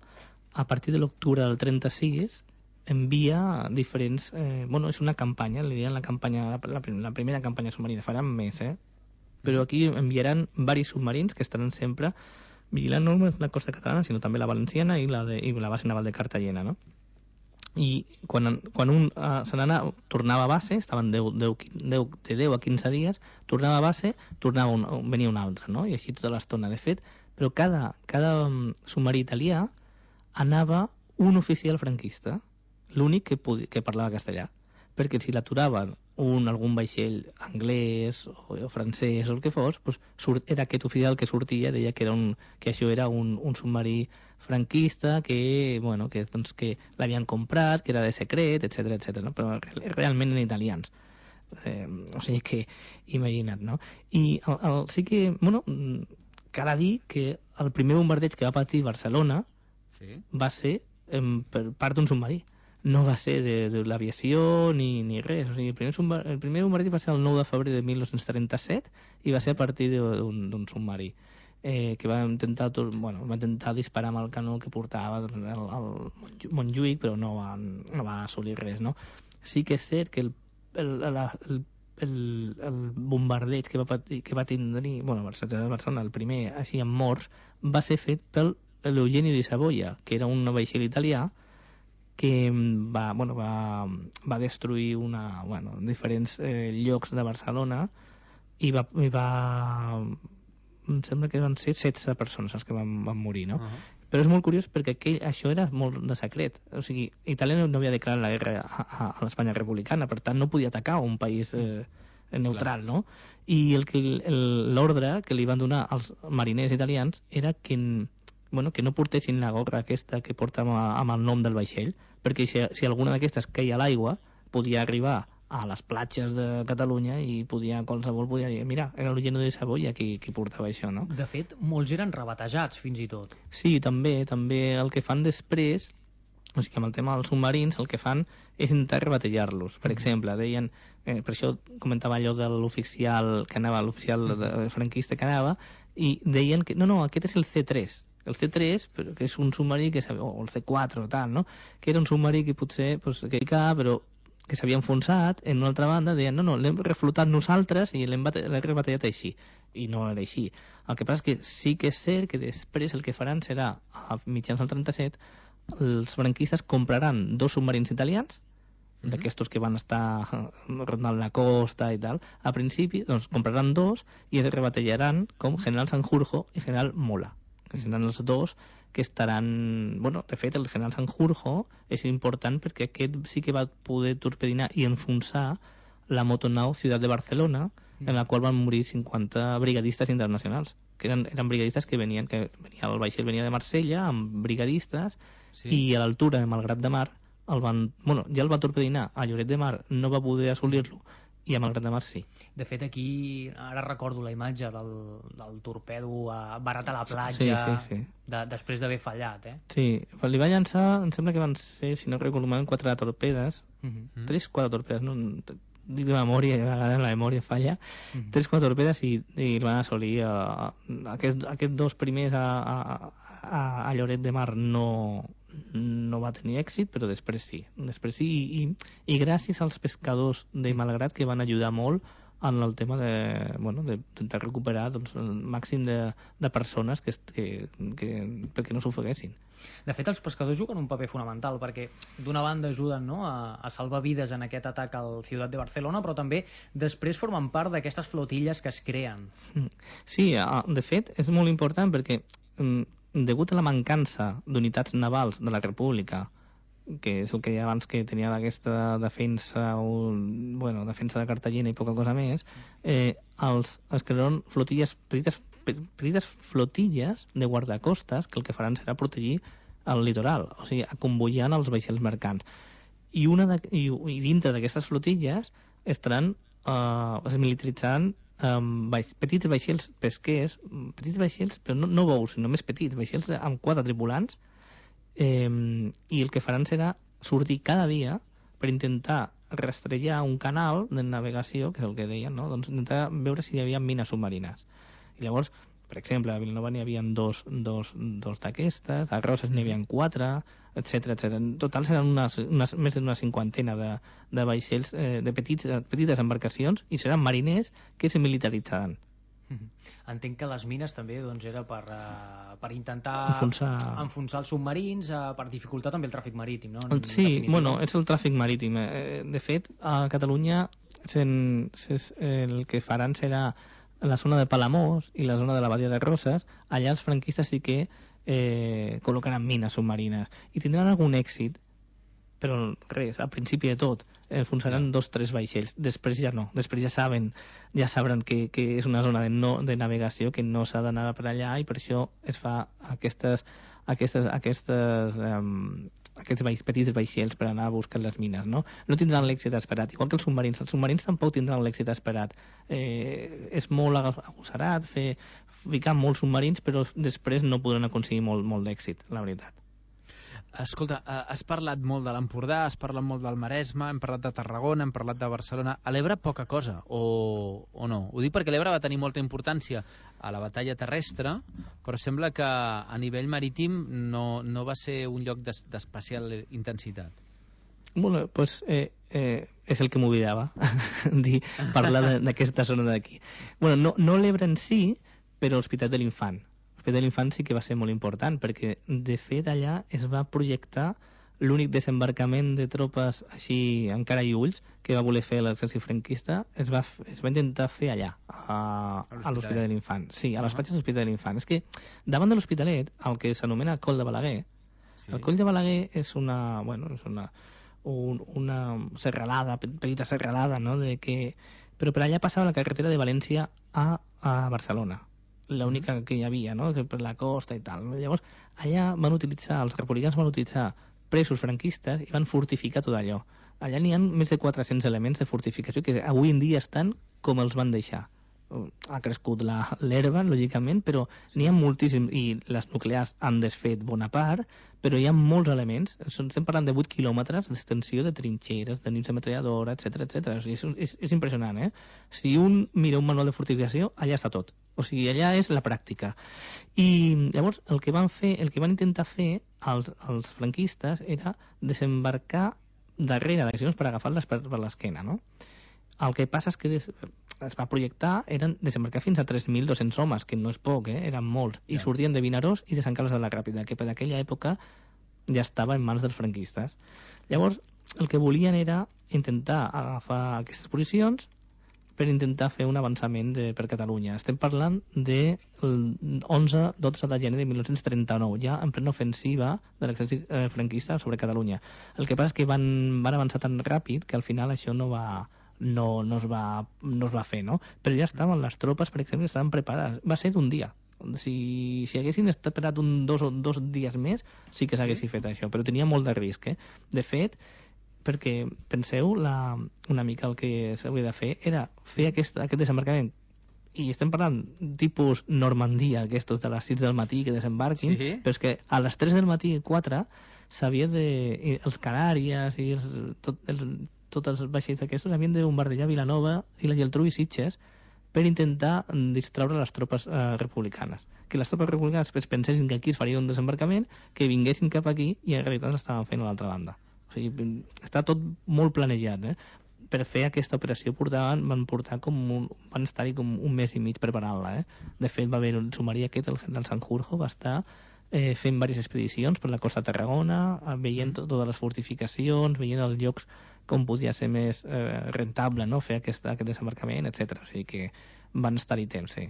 A partir de l'octubre del trenta-sis envia diferents... Eh, bueno, és una campanya, li diuen la campanya, la, la, la primera campanya submarina, faran més, eh? Però aquí enviaran varis submarins que estaran sempre vigilant no només la costa catalana, sinó també la valenciana i la, de, i la base naval de Cartagena, no? I quan, quan un uh, se n'anava, tornava a base, estaven deu, deu, deu, de deu a quinze dies, tornava a base, tornava un, venia un altre, no? I així tota l'estona, de fet, però cada, cada um, submarí italià anava un oficial franquista, l'únic que, podia, que parlava castellà, perquè si l'aturaven un, algun vaixell anglès o, o francès o el que fos, pues, surt, era aquest oficial que sortia, deia que, era un, que això era un, un submarí franquista que, bueno, que, doncs, que l'havien comprat, que era de secret, etcètera, etcètera, no? Però realment eren italians. Eh, o sigui que, imagina't, no? I el, el, sí que, bueno, cal dir que el primer bombardeig que va patir Barcelona sí. va ser eh, per part d'un submarí. No va ser de, de l'aviació ni, ni res. O sigui, el primer, el primer bombardeig va ser el nou de febrer de mil nou-cents trenta-set i va ser a partir d'un submarí. Eh, que va intentar, bueno, va intentar disparar amb el canó que portava el, el Montjuïc, però no va, no va assolir res, no? Sí que és cert que el, el, la, el, el, el bombardeig que va, patir, que va tenir, bueno, Barcelona, el primer, així amb morts, va ser fet pel l'Eugenio di Savoia, que era un vaixell italià que va, bueno, va, va destruir una, bueno, diferents eh, llocs de Barcelona i va, i va em sembla que van ser setze persones els que van, van morir, no? Uh-huh. Però és molt curiós perquè aquell, això era molt de secret. O sigui, Itàlia no havia declarat la guerra a, a, a l'Espanya republicana, per tant no podia atacar un país eh, neutral, Clar. No? I el que l'ordre que li van donar als mariners italians era que, bueno, que no portessin la gorra aquesta que portava amb el nom del vaixell, perquè si, si alguna d'aquestes queia a l'aigua podia arribar a les platges de Catalunya i podia, qualsevol podia dir, mira, era l'Eugenio de Savoia qui, qui portava això, no? De fet, molts eren rebatejats, fins i tot. Sí, també, també el que fan després, o sigui, amb el tema dels submarins, el que fan és intentar rebatejar-los. Per exemple, deien, eh, per això comentava allò de l'oficial que anava, l'oficial franquista que anava, i deien que, no, no, aquest és el C tres, el C tres, però que és un submarí que, o el C quatre o tal, no? Que era un submarí que potser, pues, que hi ca, però que s'havia enfonsat, en una altra banda deien no, no, l'hem reflotat nosaltres i l'hem rebatallat així, i no era així. El que passa és que sí que és cert que després el que faran serà, a mitjans del trenta-set, els franquistes compraran dos submarins italians, mm-hmm. d'aquestos que van estar rondant la costa i tal, a principi doncs compraran dos i es rebatallaran com General Sanjurjo i General Mola, que seran els dos que estaran... Bueno, de fet, el General Sanjurjo és important perquè aquest sí que va poder torpedinar i enfonsar la motonau Ciutat de Barcelona, en la qual van morir cinquanta brigadistes internacionals, que eren, eren brigadistes que venien, que venia, el vaixell venia de Marsella amb brigadistes, sí. I a l'altura de Malgrat de Mar el van, bueno, ja el va torpedinar a Lloret de Mar, no va poder assolir-lo, i a Malgrat de Mar sí. De fet, aquí ara recordo la imatge del, del torpedo a, barat a la platja, sí, sí, sí. De, després d'haver fallat, eh? Sí, li va llançar, em sembla que van ser, si no recordo malament, quatre torpedes, uh-huh. tres, quatre torpedes, no... dic de memòria, a vegades la memòria falla, mm-hmm. tres, quatre torpedes i, i van assolir uh, aquests aquest dos primers a, a, a, a Lloret de Mar no, no va tenir èxit, però després sí, després sí i, i, i gràcies als pescadors de Malgrat que van ajudar molt en el tema de, bueno, de intentar recuperar doncs, el màxim de, de persones que, que, que, perquè no s'ofeguessin. De fet, els pescadors juguen un paper fonamental perquè d'una banda ajuden, no, a, a salvar vides en aquest atac al Ciutat de Barcelona, però també després formen part d'aquestes flotilles que es creen. Sí, de fet, és molt important perquè degut a la mancança d'unitats navals de la República, que és el que ja abans que tenia aquesta defensa un, bueno, defensa de Cartagena i poca cosa més, eh, els, es crearan flotilles, petites, petites flotilles de guardacostes que el que faran serà protegir el litoral, o sigui, convoiant els vaixells mercants. I, una de, i, i dintre d'aquestes flotilles estaran eh, es militaritzant um, vaix, petits vaixells pesquers, petits vaixells, però no, no bous, sinó més petits, vaixells amb quatre tripulants, Eh, i el que faran serà sortir cada dia per intentar rastrellar un canal de navegació, que és el que deien, no? Doncs intentar veure si hi havia mines submarines. I llavors, per exemple, a Vilanova n'hi havia dos, dos, dos d'aquestes, a Roses n'hi havia quatre, etcètera, etcètera. En total seran unes, unes, més d'una cinquantena de, de vaixells, eh, de petits, petites embarcacions, i seran mariners que se militaritzaran. Entenc que les mines també doncs, era per, uh, per intentar enfonsar... enfonsar els submarins, uh, per dificultar també el tràfic marítim, no? En, sí, bueno, és el tràfic marítim. De fet, a Catalunya sen, ses, el que faran serà la zona de Palamós i la zona de la Badia de Roses. Allà els franquistes sí que eh, col·locaran mines submarines i tindran algun èxit, però res, al principi de tot enfonsaran dos o tres vaixells, després ja no, després ja saben, ja sabran que, que és una zona de, no, de navegació, que no s'ha d'anar per allà, i per això es fa aquestes, aquestes, aquestes, um, aquests vaix, petits vaixells per anar a buscar les mines, no? No tindran l'èxit esperat, igual que els submarins, els submarins tampoc tindran l'èxit esperat. Eh, és molt agossarat fer, ficar molts submarins, però després no podran aconseguir molt, molt d'èxit, la veritat. Escolta, has parlat molt de l'Empordà, has parlat molt del Maresme, hem parlat de Tarragona, hem parlat de Barcelona. A l'Ebre poca cosa, o, o no? Ho dic perquè l'Ebre va tenir molta importància a la batalla terrestre, però sembla que a nivell marítim no, no va ser un lloc d'especial intensitat. Bueno, pues eh, eh, és el que m'oblidava, dir, parlar d'aquesta zona d'aquí. Bueno, no, no l'Ebre en si, però l'Hospital de l'Infant. L'Hospital de l'Infant sí que va ser molt important, perquè de fet allà es va projectar l'únic desembarcament de tropes així encara i ulls que va voler fer l'exèrcit franquista, es va, es va intentar fer allà, a, a l'Hospital de l'Infant. Sí, a les platges de l'Hospital de l'Infant. És que davant de l'Hospitalet, el que s'anomena Coll de Balaguer, sí. El Coll de Balaguer és una, bueno, és una, un, una serralada, petita serralada, no? De que... però per allà passava la carretera de València a, a Barcelona, l'única que hi havia, no? Per la costa i tal. Llavors, allà van utilitzar, els republicans van utilitzar presos franquistes i van fortificar tot allò. Allà n'hi ha més de quatre-cents elements de fortificació que avui en dia estan com els van deixar. Ha crescut l'herba, lògicament, però n'hi ha moltíssims, i les nuclears han desfet bona part, però hi ha molts elements. Estem parlant de vuit quilòmetres d'extensió de trinxeres, de nius de metralladora, etcètera, etcètera. O sigui, és, és, és impressionant, eh? Si un mira un manual de fortificació, allà està tot. O sigui, allà és la pràctica. I llavors el que van fer, el que van intentar fer els, els franquistes era desembarcar darrere d'accions per agafar-les per, per l'esquena, no? El que passa és que des, es va projectar, eren desembarcar fins a tres mil dos-cents homes, que no és poc, eh? Eren molts, i Ja. sortien de Vinaròs i de Sant Carles de la Ràpida, que per aquella època ja estava en mans dels franquistes. Llavors, el que volien era intentar agafar aquestes posicions per intentar fer un avançament de, per Catalunya. Estem parlant de onze dotze de gener de mil nou-cents trenta-nou, ja en plena ofensiva de l'exèrcit eh, franquista sobre Catalunya. El que passa és que van, van avançar tan ràpid que al final això no va, no, no, es, va, no es va fer, no? Però ja estaven les tropes, per exemple, estaven preparades. Va ser d'un dia. Si, si haguessin esperat un dos o dos dies més, sí que s'haguessin fet això, però tenia molt de risc, eh? De fet, perquè penseu la, una mica el que s'hauria de fer era fer aquest, aquest desembarcament, i estem parlant tipus Normandia, aquests de les sis del matí que desembarquin, Sí. però és que a les tres del matí i quatre s'havia de... i els Canàries i els, tot, els, tots els vaixells aquests havien de bombardejar Vilanova i la Geltrú i Sitges per intentar distraure les tropes eh, republicanes. Que les tropes republicanes es pensessin que aquí es faria un desembarcament, que vinguessin cap aquí i en realitat l'estaven fent a l'altra banda. O sigui, està tot molt planejat, eh? Per fer aquesta operació portaven, van portar com un, van estar-hi com un mes i mig preparant-la, eh? De fet, va haver un submarí aquest, el, el Sanjurjo, va estar eh, fent diverses expedicions per la costa de Tarragona, eh, veient to totes les fortificacions, veient els llocs com podia ser més eh, rentable, no?, fer aquest, aquest desembarcament, etcètera. O sigui que van estar-hi temps, sí.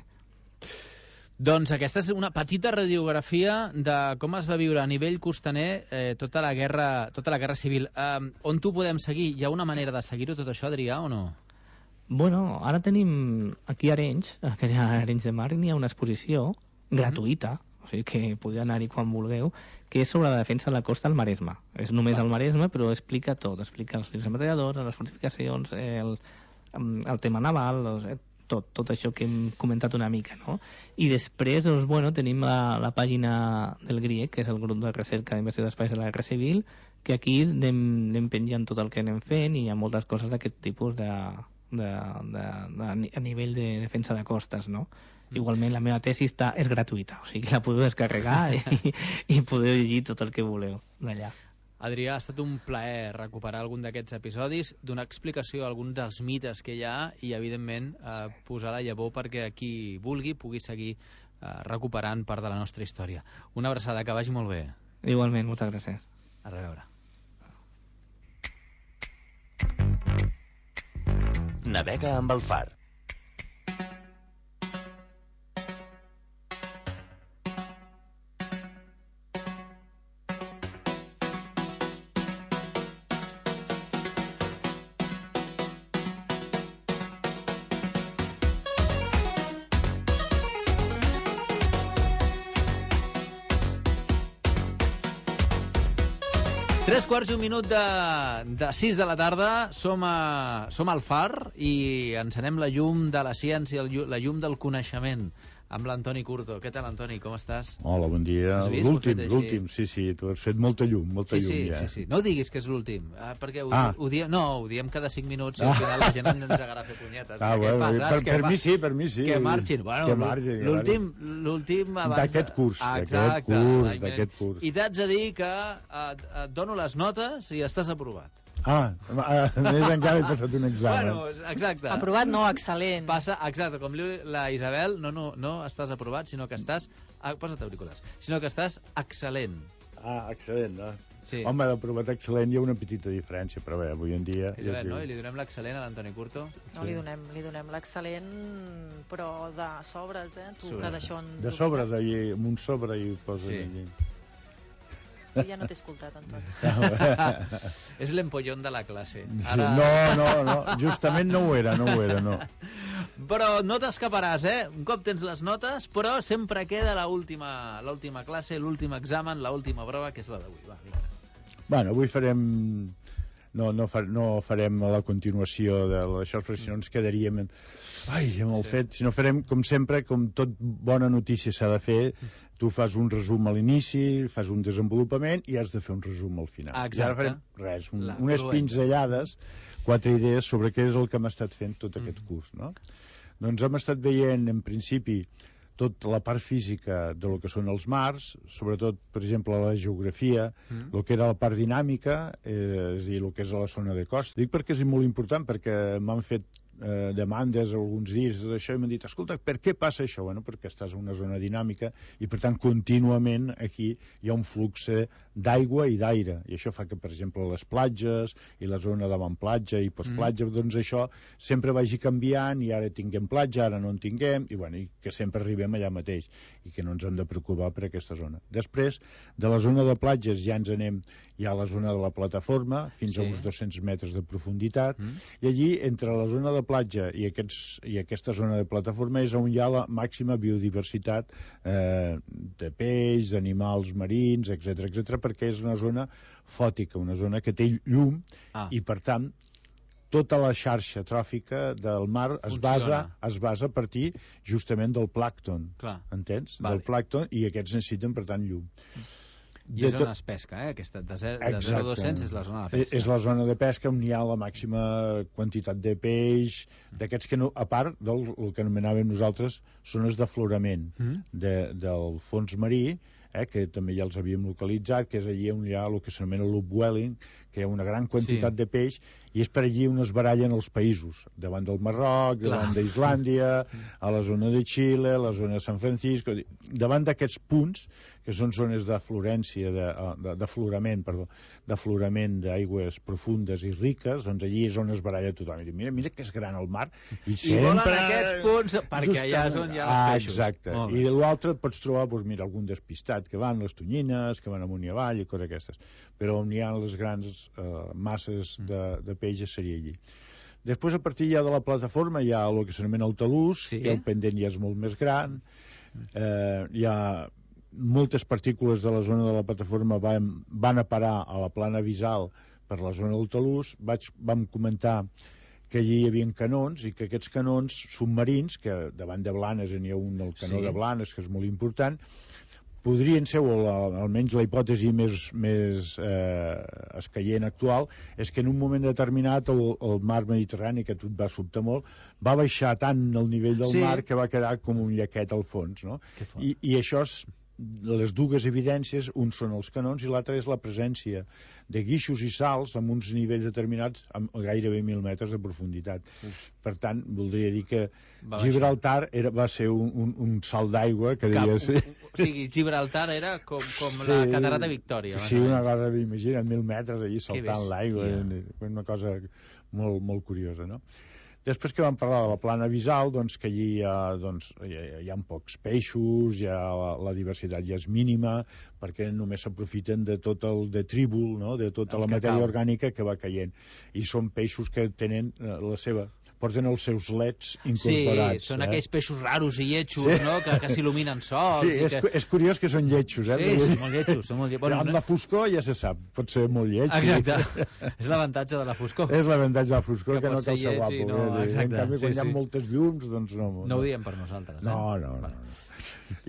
Doncs aquesta és una petita radiografia de com es va viure a nivell costaner eh, tota la guerra tota la guerra civil. Eh, on t'ho podem seguir? Hi ha una manera de seguir-ho tot això, Adrià, o no? Bueno, ara tenim aquí a Arenys, a Arenys de Mar, n'hi ha una exposició gratuïta, o sigui que podeu anar-hi quan vulgueu, que és sobre la defensa de la costa al Maresme. És només al Maresme, però explica tot. Explica els fils ametralladors, les fortificacions, el, el tema naval, els, tot, tot això que hem comentat una mica, no? I després, doncs, bueno, tenim la, la pàgina del GRIEC, que és el grup de recerca d'inversió d'espais de la Guerra Civil, que aquí anem, anem penjant tot el que anem fent i hi ha moltes coses d'aquest tipus de, de, de, de, a nivell de defensa de costes, no? Igualment la meva tesi està, és gratuïta, o sigui que la podeu descarregar i, i podeu llegir tot el que voleu d'allà. Adrià, ha estat un plaer recuperar algun d'aquests episodis, donar explicació a algun dels mites que hi ha i, evidentment, eh, posar la llavor perquè qui vulgui pugui seguir eh, recuperant part de la nostra història. Una abraçada, que vagi molt bé. Igualment, moltes gràcies. A reveure. Navega amb el far. Tres quarts i un minut de, de sis de la tarda, som, a, som al Far i encenem la llum de la ciència, el, la llum del coneixement, amb l'Antoni Curto. Què tal, Antoni? Com estàs? Hola, bon dia. L'últim, l'últim, sí, sí, tu has fet molta llum, molta sí, llum, sí, ja. Sí, sí, no diguis que és l'últim, ah, perquè ho, ah. ho diem, no, ho diem cada cinc minuts i al final la gent ens agarra a fer punyetes. Ah, bueno, passa, per, que per mi sí, per mi sí. Que marxin. Bueno, que marxin, l'últim, l'últim abans... D'aquest curs, d'aquest curs, d'aquest curs. I t'haig de dir que et, et dono les notes i estàs aprovat. Ah, més encara he passat un examen. Bueno, exacte. Aprovat no, excel·lent. Passa, exacte, com diu la Isabel, no, no, no estàs aprovat, sinó que estàs... Ah, posa't auriculars. Sinó que estàs excel·lent. Ah, excel·lent, no? Sí. Home, d'aprovat excel·lent hi ha una petita diferència, però bé, avui en dia... Isabel, no? I li donem l'excel·lent a l'Antoni Curto? No, li donem, li donem l'excel·lent, però de sobres, eh? Tu, que d'això en de sobre, de, amb un sobre i ho posen sí. allí. Jo ja no t'he escoltat, Antoni. És l'empollón de la classe. Ara... Sí, no, no, no, justament no ho era, no ho era, no. Però no t'escaparàs, eh? Un cop tens les notes, però sempre queda l'última l'última classe, l'últim examen, l'última prova, que és la d'avui. Va, vinga. Bueno, avui farem... No, no, fa, no farem la continuació de això, perquè si no ens quedaríem en... Ai, amb el sí. fet, si no farem, com sempre, com tot bona notícia s'ha de fer, tu fas un resum a l'inici, fas un desenvolupament i has de fer un resum al final. Exacte. I ara farem res, un, unes pinzellades, quatre idees sobre què és el que hem estat fent tot aquest curs, no? Doncs hem estat veient, en principi, tota la part física de lo que són els mars, sobretot, per exemple, la geografia, mm. el que era la part dinàmica, eh, és a dir, el que és a la zona de costa. Dic perquè és molt important, perquè m'han fet eh, demandes alguns dies d'això i m'han dit, escolta, per què passa això? Bueno, perquè estàs en una zona dinàmica i, per tant, contínuament aquí hi ha un flux d'aigua i d'aire, i això fa que, per exemple, les platges i la zona d'avantplatja i postplatja, mm. doncs això sempre vagi canviant, i ara tinguem platja, ara no en tinguem, i, bueno, i que sempre arribem allà mateix, i que no ens hem de preocupar per aquesta zona. Després, de la zona de platges ja ens anem ja a la zona de la plataforma, fins sí. a uns dos-cents metres de profunditat, mm. i allí, entre la zona de platja i, aquests, i aquesta zona de plataforma és on hi ha la màxima biodiversitat eh, de peix, d'animals marins, etcètera, etcètera, perquè és una zona fòtica, una zona que té llum, ah. i, per tant, tota la xarxa tròfica del mar es basa, es basa a partir justament del plàncton, Clar. entens? Vale. Del plàncton, i aquests necessiten, per tant, llum. I és on es pesca, eh? Aquesta de zero a dos-cents és la zona de pesca. És la zona de pesca on hi ha la màxima quantitat de peix, d'aquests que, no, a part del que anomenàvem nosaltres zones d'aflorament mm. de, del fons marí, eh, que també ja els havíem localitzat, que és allí on hi ha el que s'anomena l'upwelling, que hi ha una gran quantitat sí. de peix, i és per allí on es barallen els països, davant del Marroc, Clar. davant d'Islàndia, a la zona de Xile, a la zona de San Francisco, davant d'aquests punts, que són zones d'aflorència, d'aflorament, perdó, d'aflorament d'aigües profundes i riques, doncs allí és on es baralla tothom. I diu, mira, mira que és gran el mar, i, I sempre... volen aquests punts, perquè allà és on hi ha els ah, peixos. Exacte, i l'altre et pots trobar, doncs, mira, algun despistat que van, les tonyines, que van amunt i avall i coses aquestes, però on hi ha les grans eh, masses de, de peixes seria allí. Després, a partir ja de la plataforma, hi ha el que s'anomena el talús, sí? que el pendent ja és molt més gran, eh, hi ha moltes partícules de la zona de la plataforma van, van a parar a la plana visal per la zona del talús. Vaig, vam comentar que allí hi havia canons, i que aquests canons submarins, que davant de Blanes n'hi ha un, el canó sí. de Blanes, que és molt important, podrien ser, o la, almenys la hipòtesi més, més eh, escaient actual, és que en un moment determinat el, el mar Mediterrani, que a tu et va sobtar molt, va baixar tant el nivell del sí. mar que va quedar com un llaquet al fons, no? I, i això és les dues evidències, un són els canons i l'altre és la presència de guixos i sals amb uns nivells determinats amb gairebé mil metres de profunditat. Mm. Per tant, voldria dir que va Gibraltar era, va ser un, un, un salt d'aigua que deia ser... O sigui, Gibraltar era com, com sí, la Catarata Victòria. Sí, una cosa, imagina't, mil metres allí saltant l'aigua, una cosa molt, molt curiosa, no? Després que vam parlar de la plana visal, doncs que allí hi ha, doncs, hi ha, hi ha pocs peixos, ja la, la diversitat ja és mínima, perquè només s'aprofiten de tot el detrívol, no? De tota el la matèria cau. orgànica que va caient. I són peixos que tenen eh, la seva... porten els seus leds incorporats. Sí, són eh? aquells peixos raros i lletjos, sí. no? que, que s'il·luminen sols. Sí, i és, que... és curiós que són lletjos. Eh? Sí, són molt lletjos. Són molt lletjos. Bueno, amb no... la foscor ja se sap, pot ser molt lleig. Exacte. És l'avantatge de la foscor. És l'avantatge de la foscor, que, que no cal ser guapo. No, eh? exacte, en canvi, quan sí, hi ha sí. moltes llums, doncs no... No ho diem per nosaltres. Eh? No, no, no. no.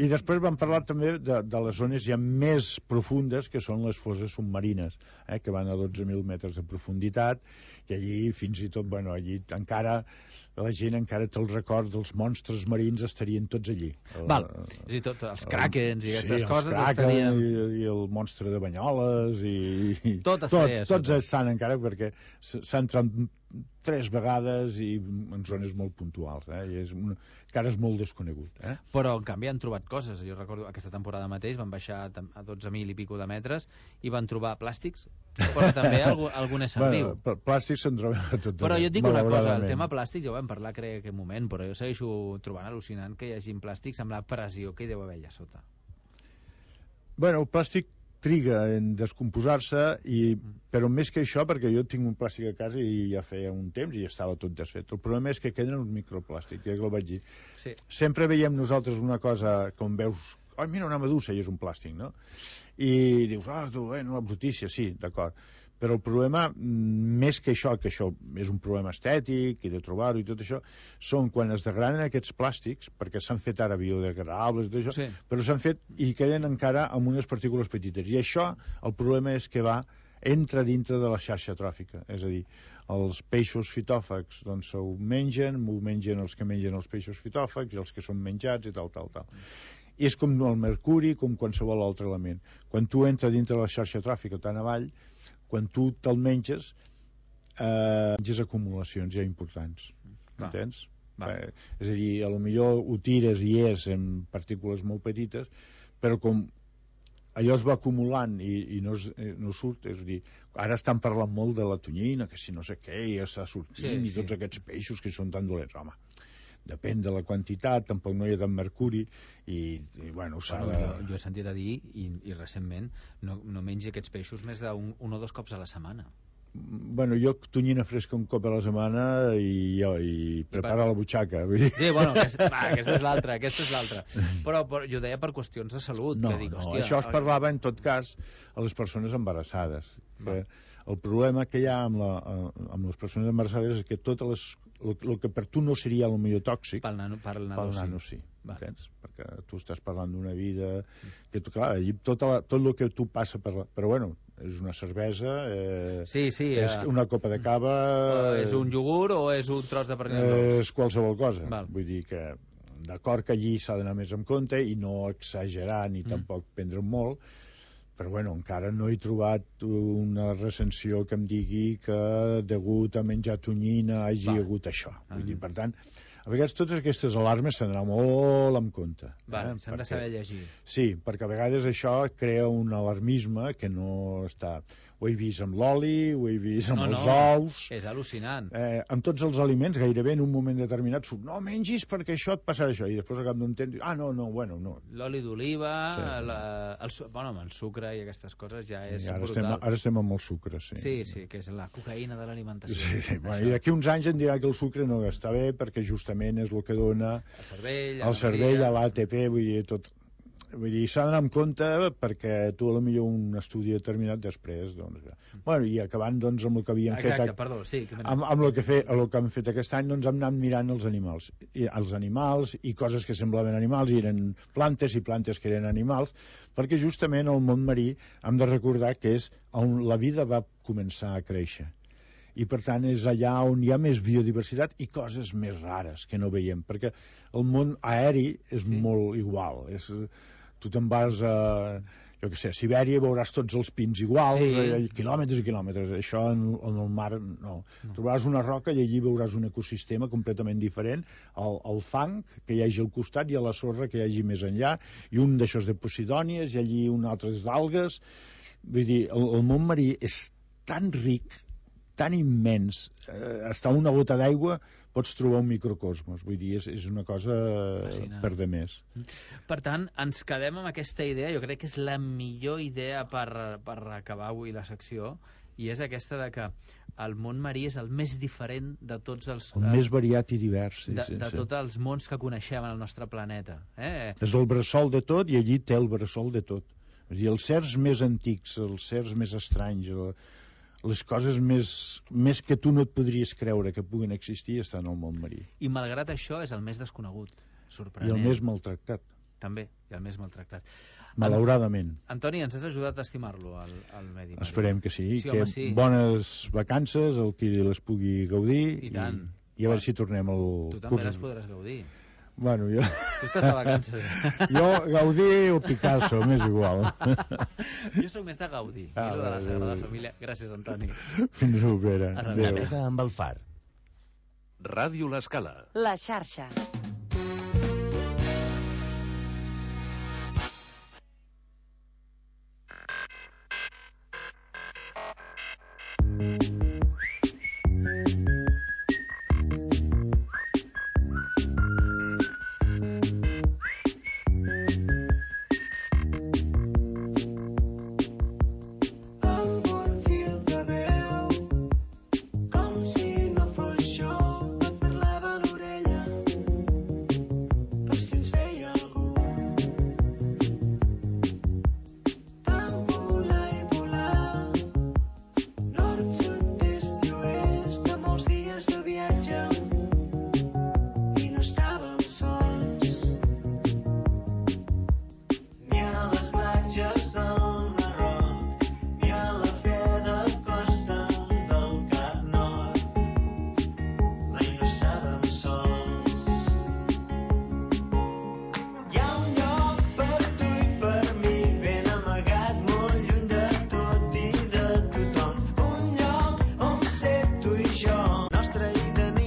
I després vam parlar també de, de les zones ja més profundes, que són les fosses submarines, eh, que van a dotze mil metres de profunditat, i allí fins i tot, bueno, allí encara la gent encara té el record dels monstres marins, estarien tots allí. El, Val, és a dir, tot, els krakens i aquestes sí, coses estarien... I, i el monstre de Banyoles i... i tot estaria tots, tots estan encara, perquè s'han entrat tres vegades i en zones molt puntuals, eh? I és una... encara és molt desconegut. Eh? Però, en canvi, han trobat coses. Jo recordo aquesta temporada mateix van baixar a dotze mil i pico de metres i van trobar plàstics, però també algun, algun ésser bueno, viu. Plàstics se'n troben a tot. Però jo et dic una cosa, el tema plàstic ja ho vam parlar, crec, en aquell moment, però jo segueixo trobant al·lucinant que hi hagi plàstics amb la pressió que hi deu haver allà sota. Bueno, el plàstic triga en descomposar-se, i, però més que això, perquè jo tinc un plàstic a casa i ja feia un temps i ja estava tot desfet. El problema és que queden uns microplàstics, ja que el vaig dir. Sí. Sempre veiem nosaltres una cosa, com veus, oh, mira una medusa, i és un plàstic, no? I dius, ah, tu, eh, una brutícia, sí, d'acord. Però el problema, més que això, que això és un problema estètic i de trobar-ho i tot això, són quan es degraden aquests plàstics, perquè s'han fet ara biodegradables i tot això, sí. però s'han fet i queden encara amb unes partícules petites. I això, el problema és que va entra dintre de la xarxa tròfica, és a dir, els peixos fitòfags doncs s'ho mengen, m'ho mengen els que mengen els peixos fitòfags i els que són menjats i tal, tal, tal. I és com el mercuri, com qualsevol altre element. Quan tu entres dintre de la xarxa tròfica tan avall, quan tu te'l menges, eh, menges acumulacions ja importants. Va. Entens? Va. Eh, és a dir, a lo millor ho tires i és en partícules molt petites, però com allò es va acumulant i, i no, es, no surt, és a dir, ara estan parlant molt de la tonyina, que si no sé què, ja està sortint, sí, i tots sí. aquests peixos que són tan dolents. Home, depèn de la quantitat, tampoc no hi ha tant mercuri, i, i bueno, s'ha bueno, de... jo, jo he sentit a dir, i, i recentment, no, no mengi aquests peixos més d'un un o dos cops a la setmana. Bueno, jo tonyina fresca un cop a la setmana i, jo, i prepara I per... la butxaca. Vull dir. Sí, bueno, aquesta, va, aquesta és l'altra, aquesta és l'altra. Però, però jo deia per qüestions de salut. No, que dic, no, hòstia, això es parlava en tot cas a les persones embarassades. Que el problema que hi ha amb, la, amb les persones embarassades és que totes les, el, el que per tu no seria el millor tòxic, pel nano, pel nano, pel nano sí. sí. Entens? Perquè tu estàs parlant d'una vida que, clar, tot, la, tot el que tu passa per la... Però bueno, és una cervesa, eh, sí, sí, és eh, una copa de cava... O és un iogurt o és un tros de pernil dolç? És qualsevol cosa. Val. Vull dir que, d'acord que allí s'ha d'anar més en compte i no exagerar ni mm. tampoc prendre molt, però bueno, encara no he trobat una recensió que em digui que degut a menjar tonyina hagi Va. hagut això. Vull mm. dir, per tant, a vegades totes aquestes alarmes s'han d'anar molt en compte. Vale, eh? S'han de saber llegir. Sí, perquè a vegades això crea un alarmisme que no està... Ho he vist amb l'oli, ho he vist amb no, els no, ous... És al·lucinant. Eh, amb tots els aliments, gairebé en un moment determinat surt, no mengis perquè això et passarà això, i després al cap d'un temps, ah, no, no, bueno, no. L'oli d'oliva, sí. la, el, bueno, el sucre i aquestes coses ja és ara brutal. Estem, ara estem amb el sucre, sí. Sí, sí, que és la cocaïna de l'alimentació. Sí, sí. Bueno, i d'aquí uns anys em dirà que el sucre no està bé perquè justament és el que dona el cervell, el cervell, a l'A T P, vull dir, tot... Vull dir, s'ha d'anar amb compte perquè tu a lo millor un estudi determinat després, doncs... Bueno, i acabant, doncs, amb el que havíem Exacte, fet... perdó, sí. Que amb, amb el que, fe, el que hem fet aquest any, doncs hem anat mirant els animals. I, els animals i coses que semblaven animals, i eren plantes i plantes que eren animals, perquè justament el món marí hem de recordar que és on la vida va començar a créixer. I per tant és allà on hi ha més biodiversitat i coses més rares que no veiem, perquè el món aeri és sí. molt igual, és... Tu te'n vas a, jo què sé, a Sibèria i veuràs tots els pins iguals, sí. eh, quilòmetres i quilòmetres. Això en, en el mar no. no. Trobaràs una roca i allí veuràs un ecosistema completament diferent, el, el fang que hi hagi al costat i a la sorra que hi hagi més enllà, i un d'aixòs de posidònies i allí un altre d'algues. Vull dir, el, el món marí és tan ric, tan immens, eh, està una gota d'aigua pots trobar un microcosmos, vull dir, és, és una cosa Fascinant. Per de més. Per tant, ens quedem amb aquesta idea, jo crec que és la millor idea per, per acabar avui la secció, i és aquesta de que el món marí és el més diferent de tots els... El eh, més variat i divers, sí. De, sí, de sí. tots els mons que coneixem en el nostre planeta. Eh? És el bressol de tot i allí té el bressol de tot. És a dir, els certs més antics, els certs més estranys, el, les coses més, més que tu no et podries creure que puguin existir estan al món marí. I malgrat això és el més desconegut, sorprenent. I el més maltractat. També, i el més maltractat. Malauradament. Antoni, ens has ajudat a estimar-lo, al, al medi marí. Esperem que sí, sí que home, sí. bones vacances, el qui les pugui gaudir. I tant. I, i a veure si tornem al tu també curs. Les podràs gaudir. Bueno, jo... Tu estàs de vacances. Jo, Gaudí o Picasso, m'és igual. Jo sóc més de Gaudí, ah, i lo de la Sagrada Família. Gràcies, Antoni. Fins propera. Navega amb el far. Ràdio L'Escala. La xarxa.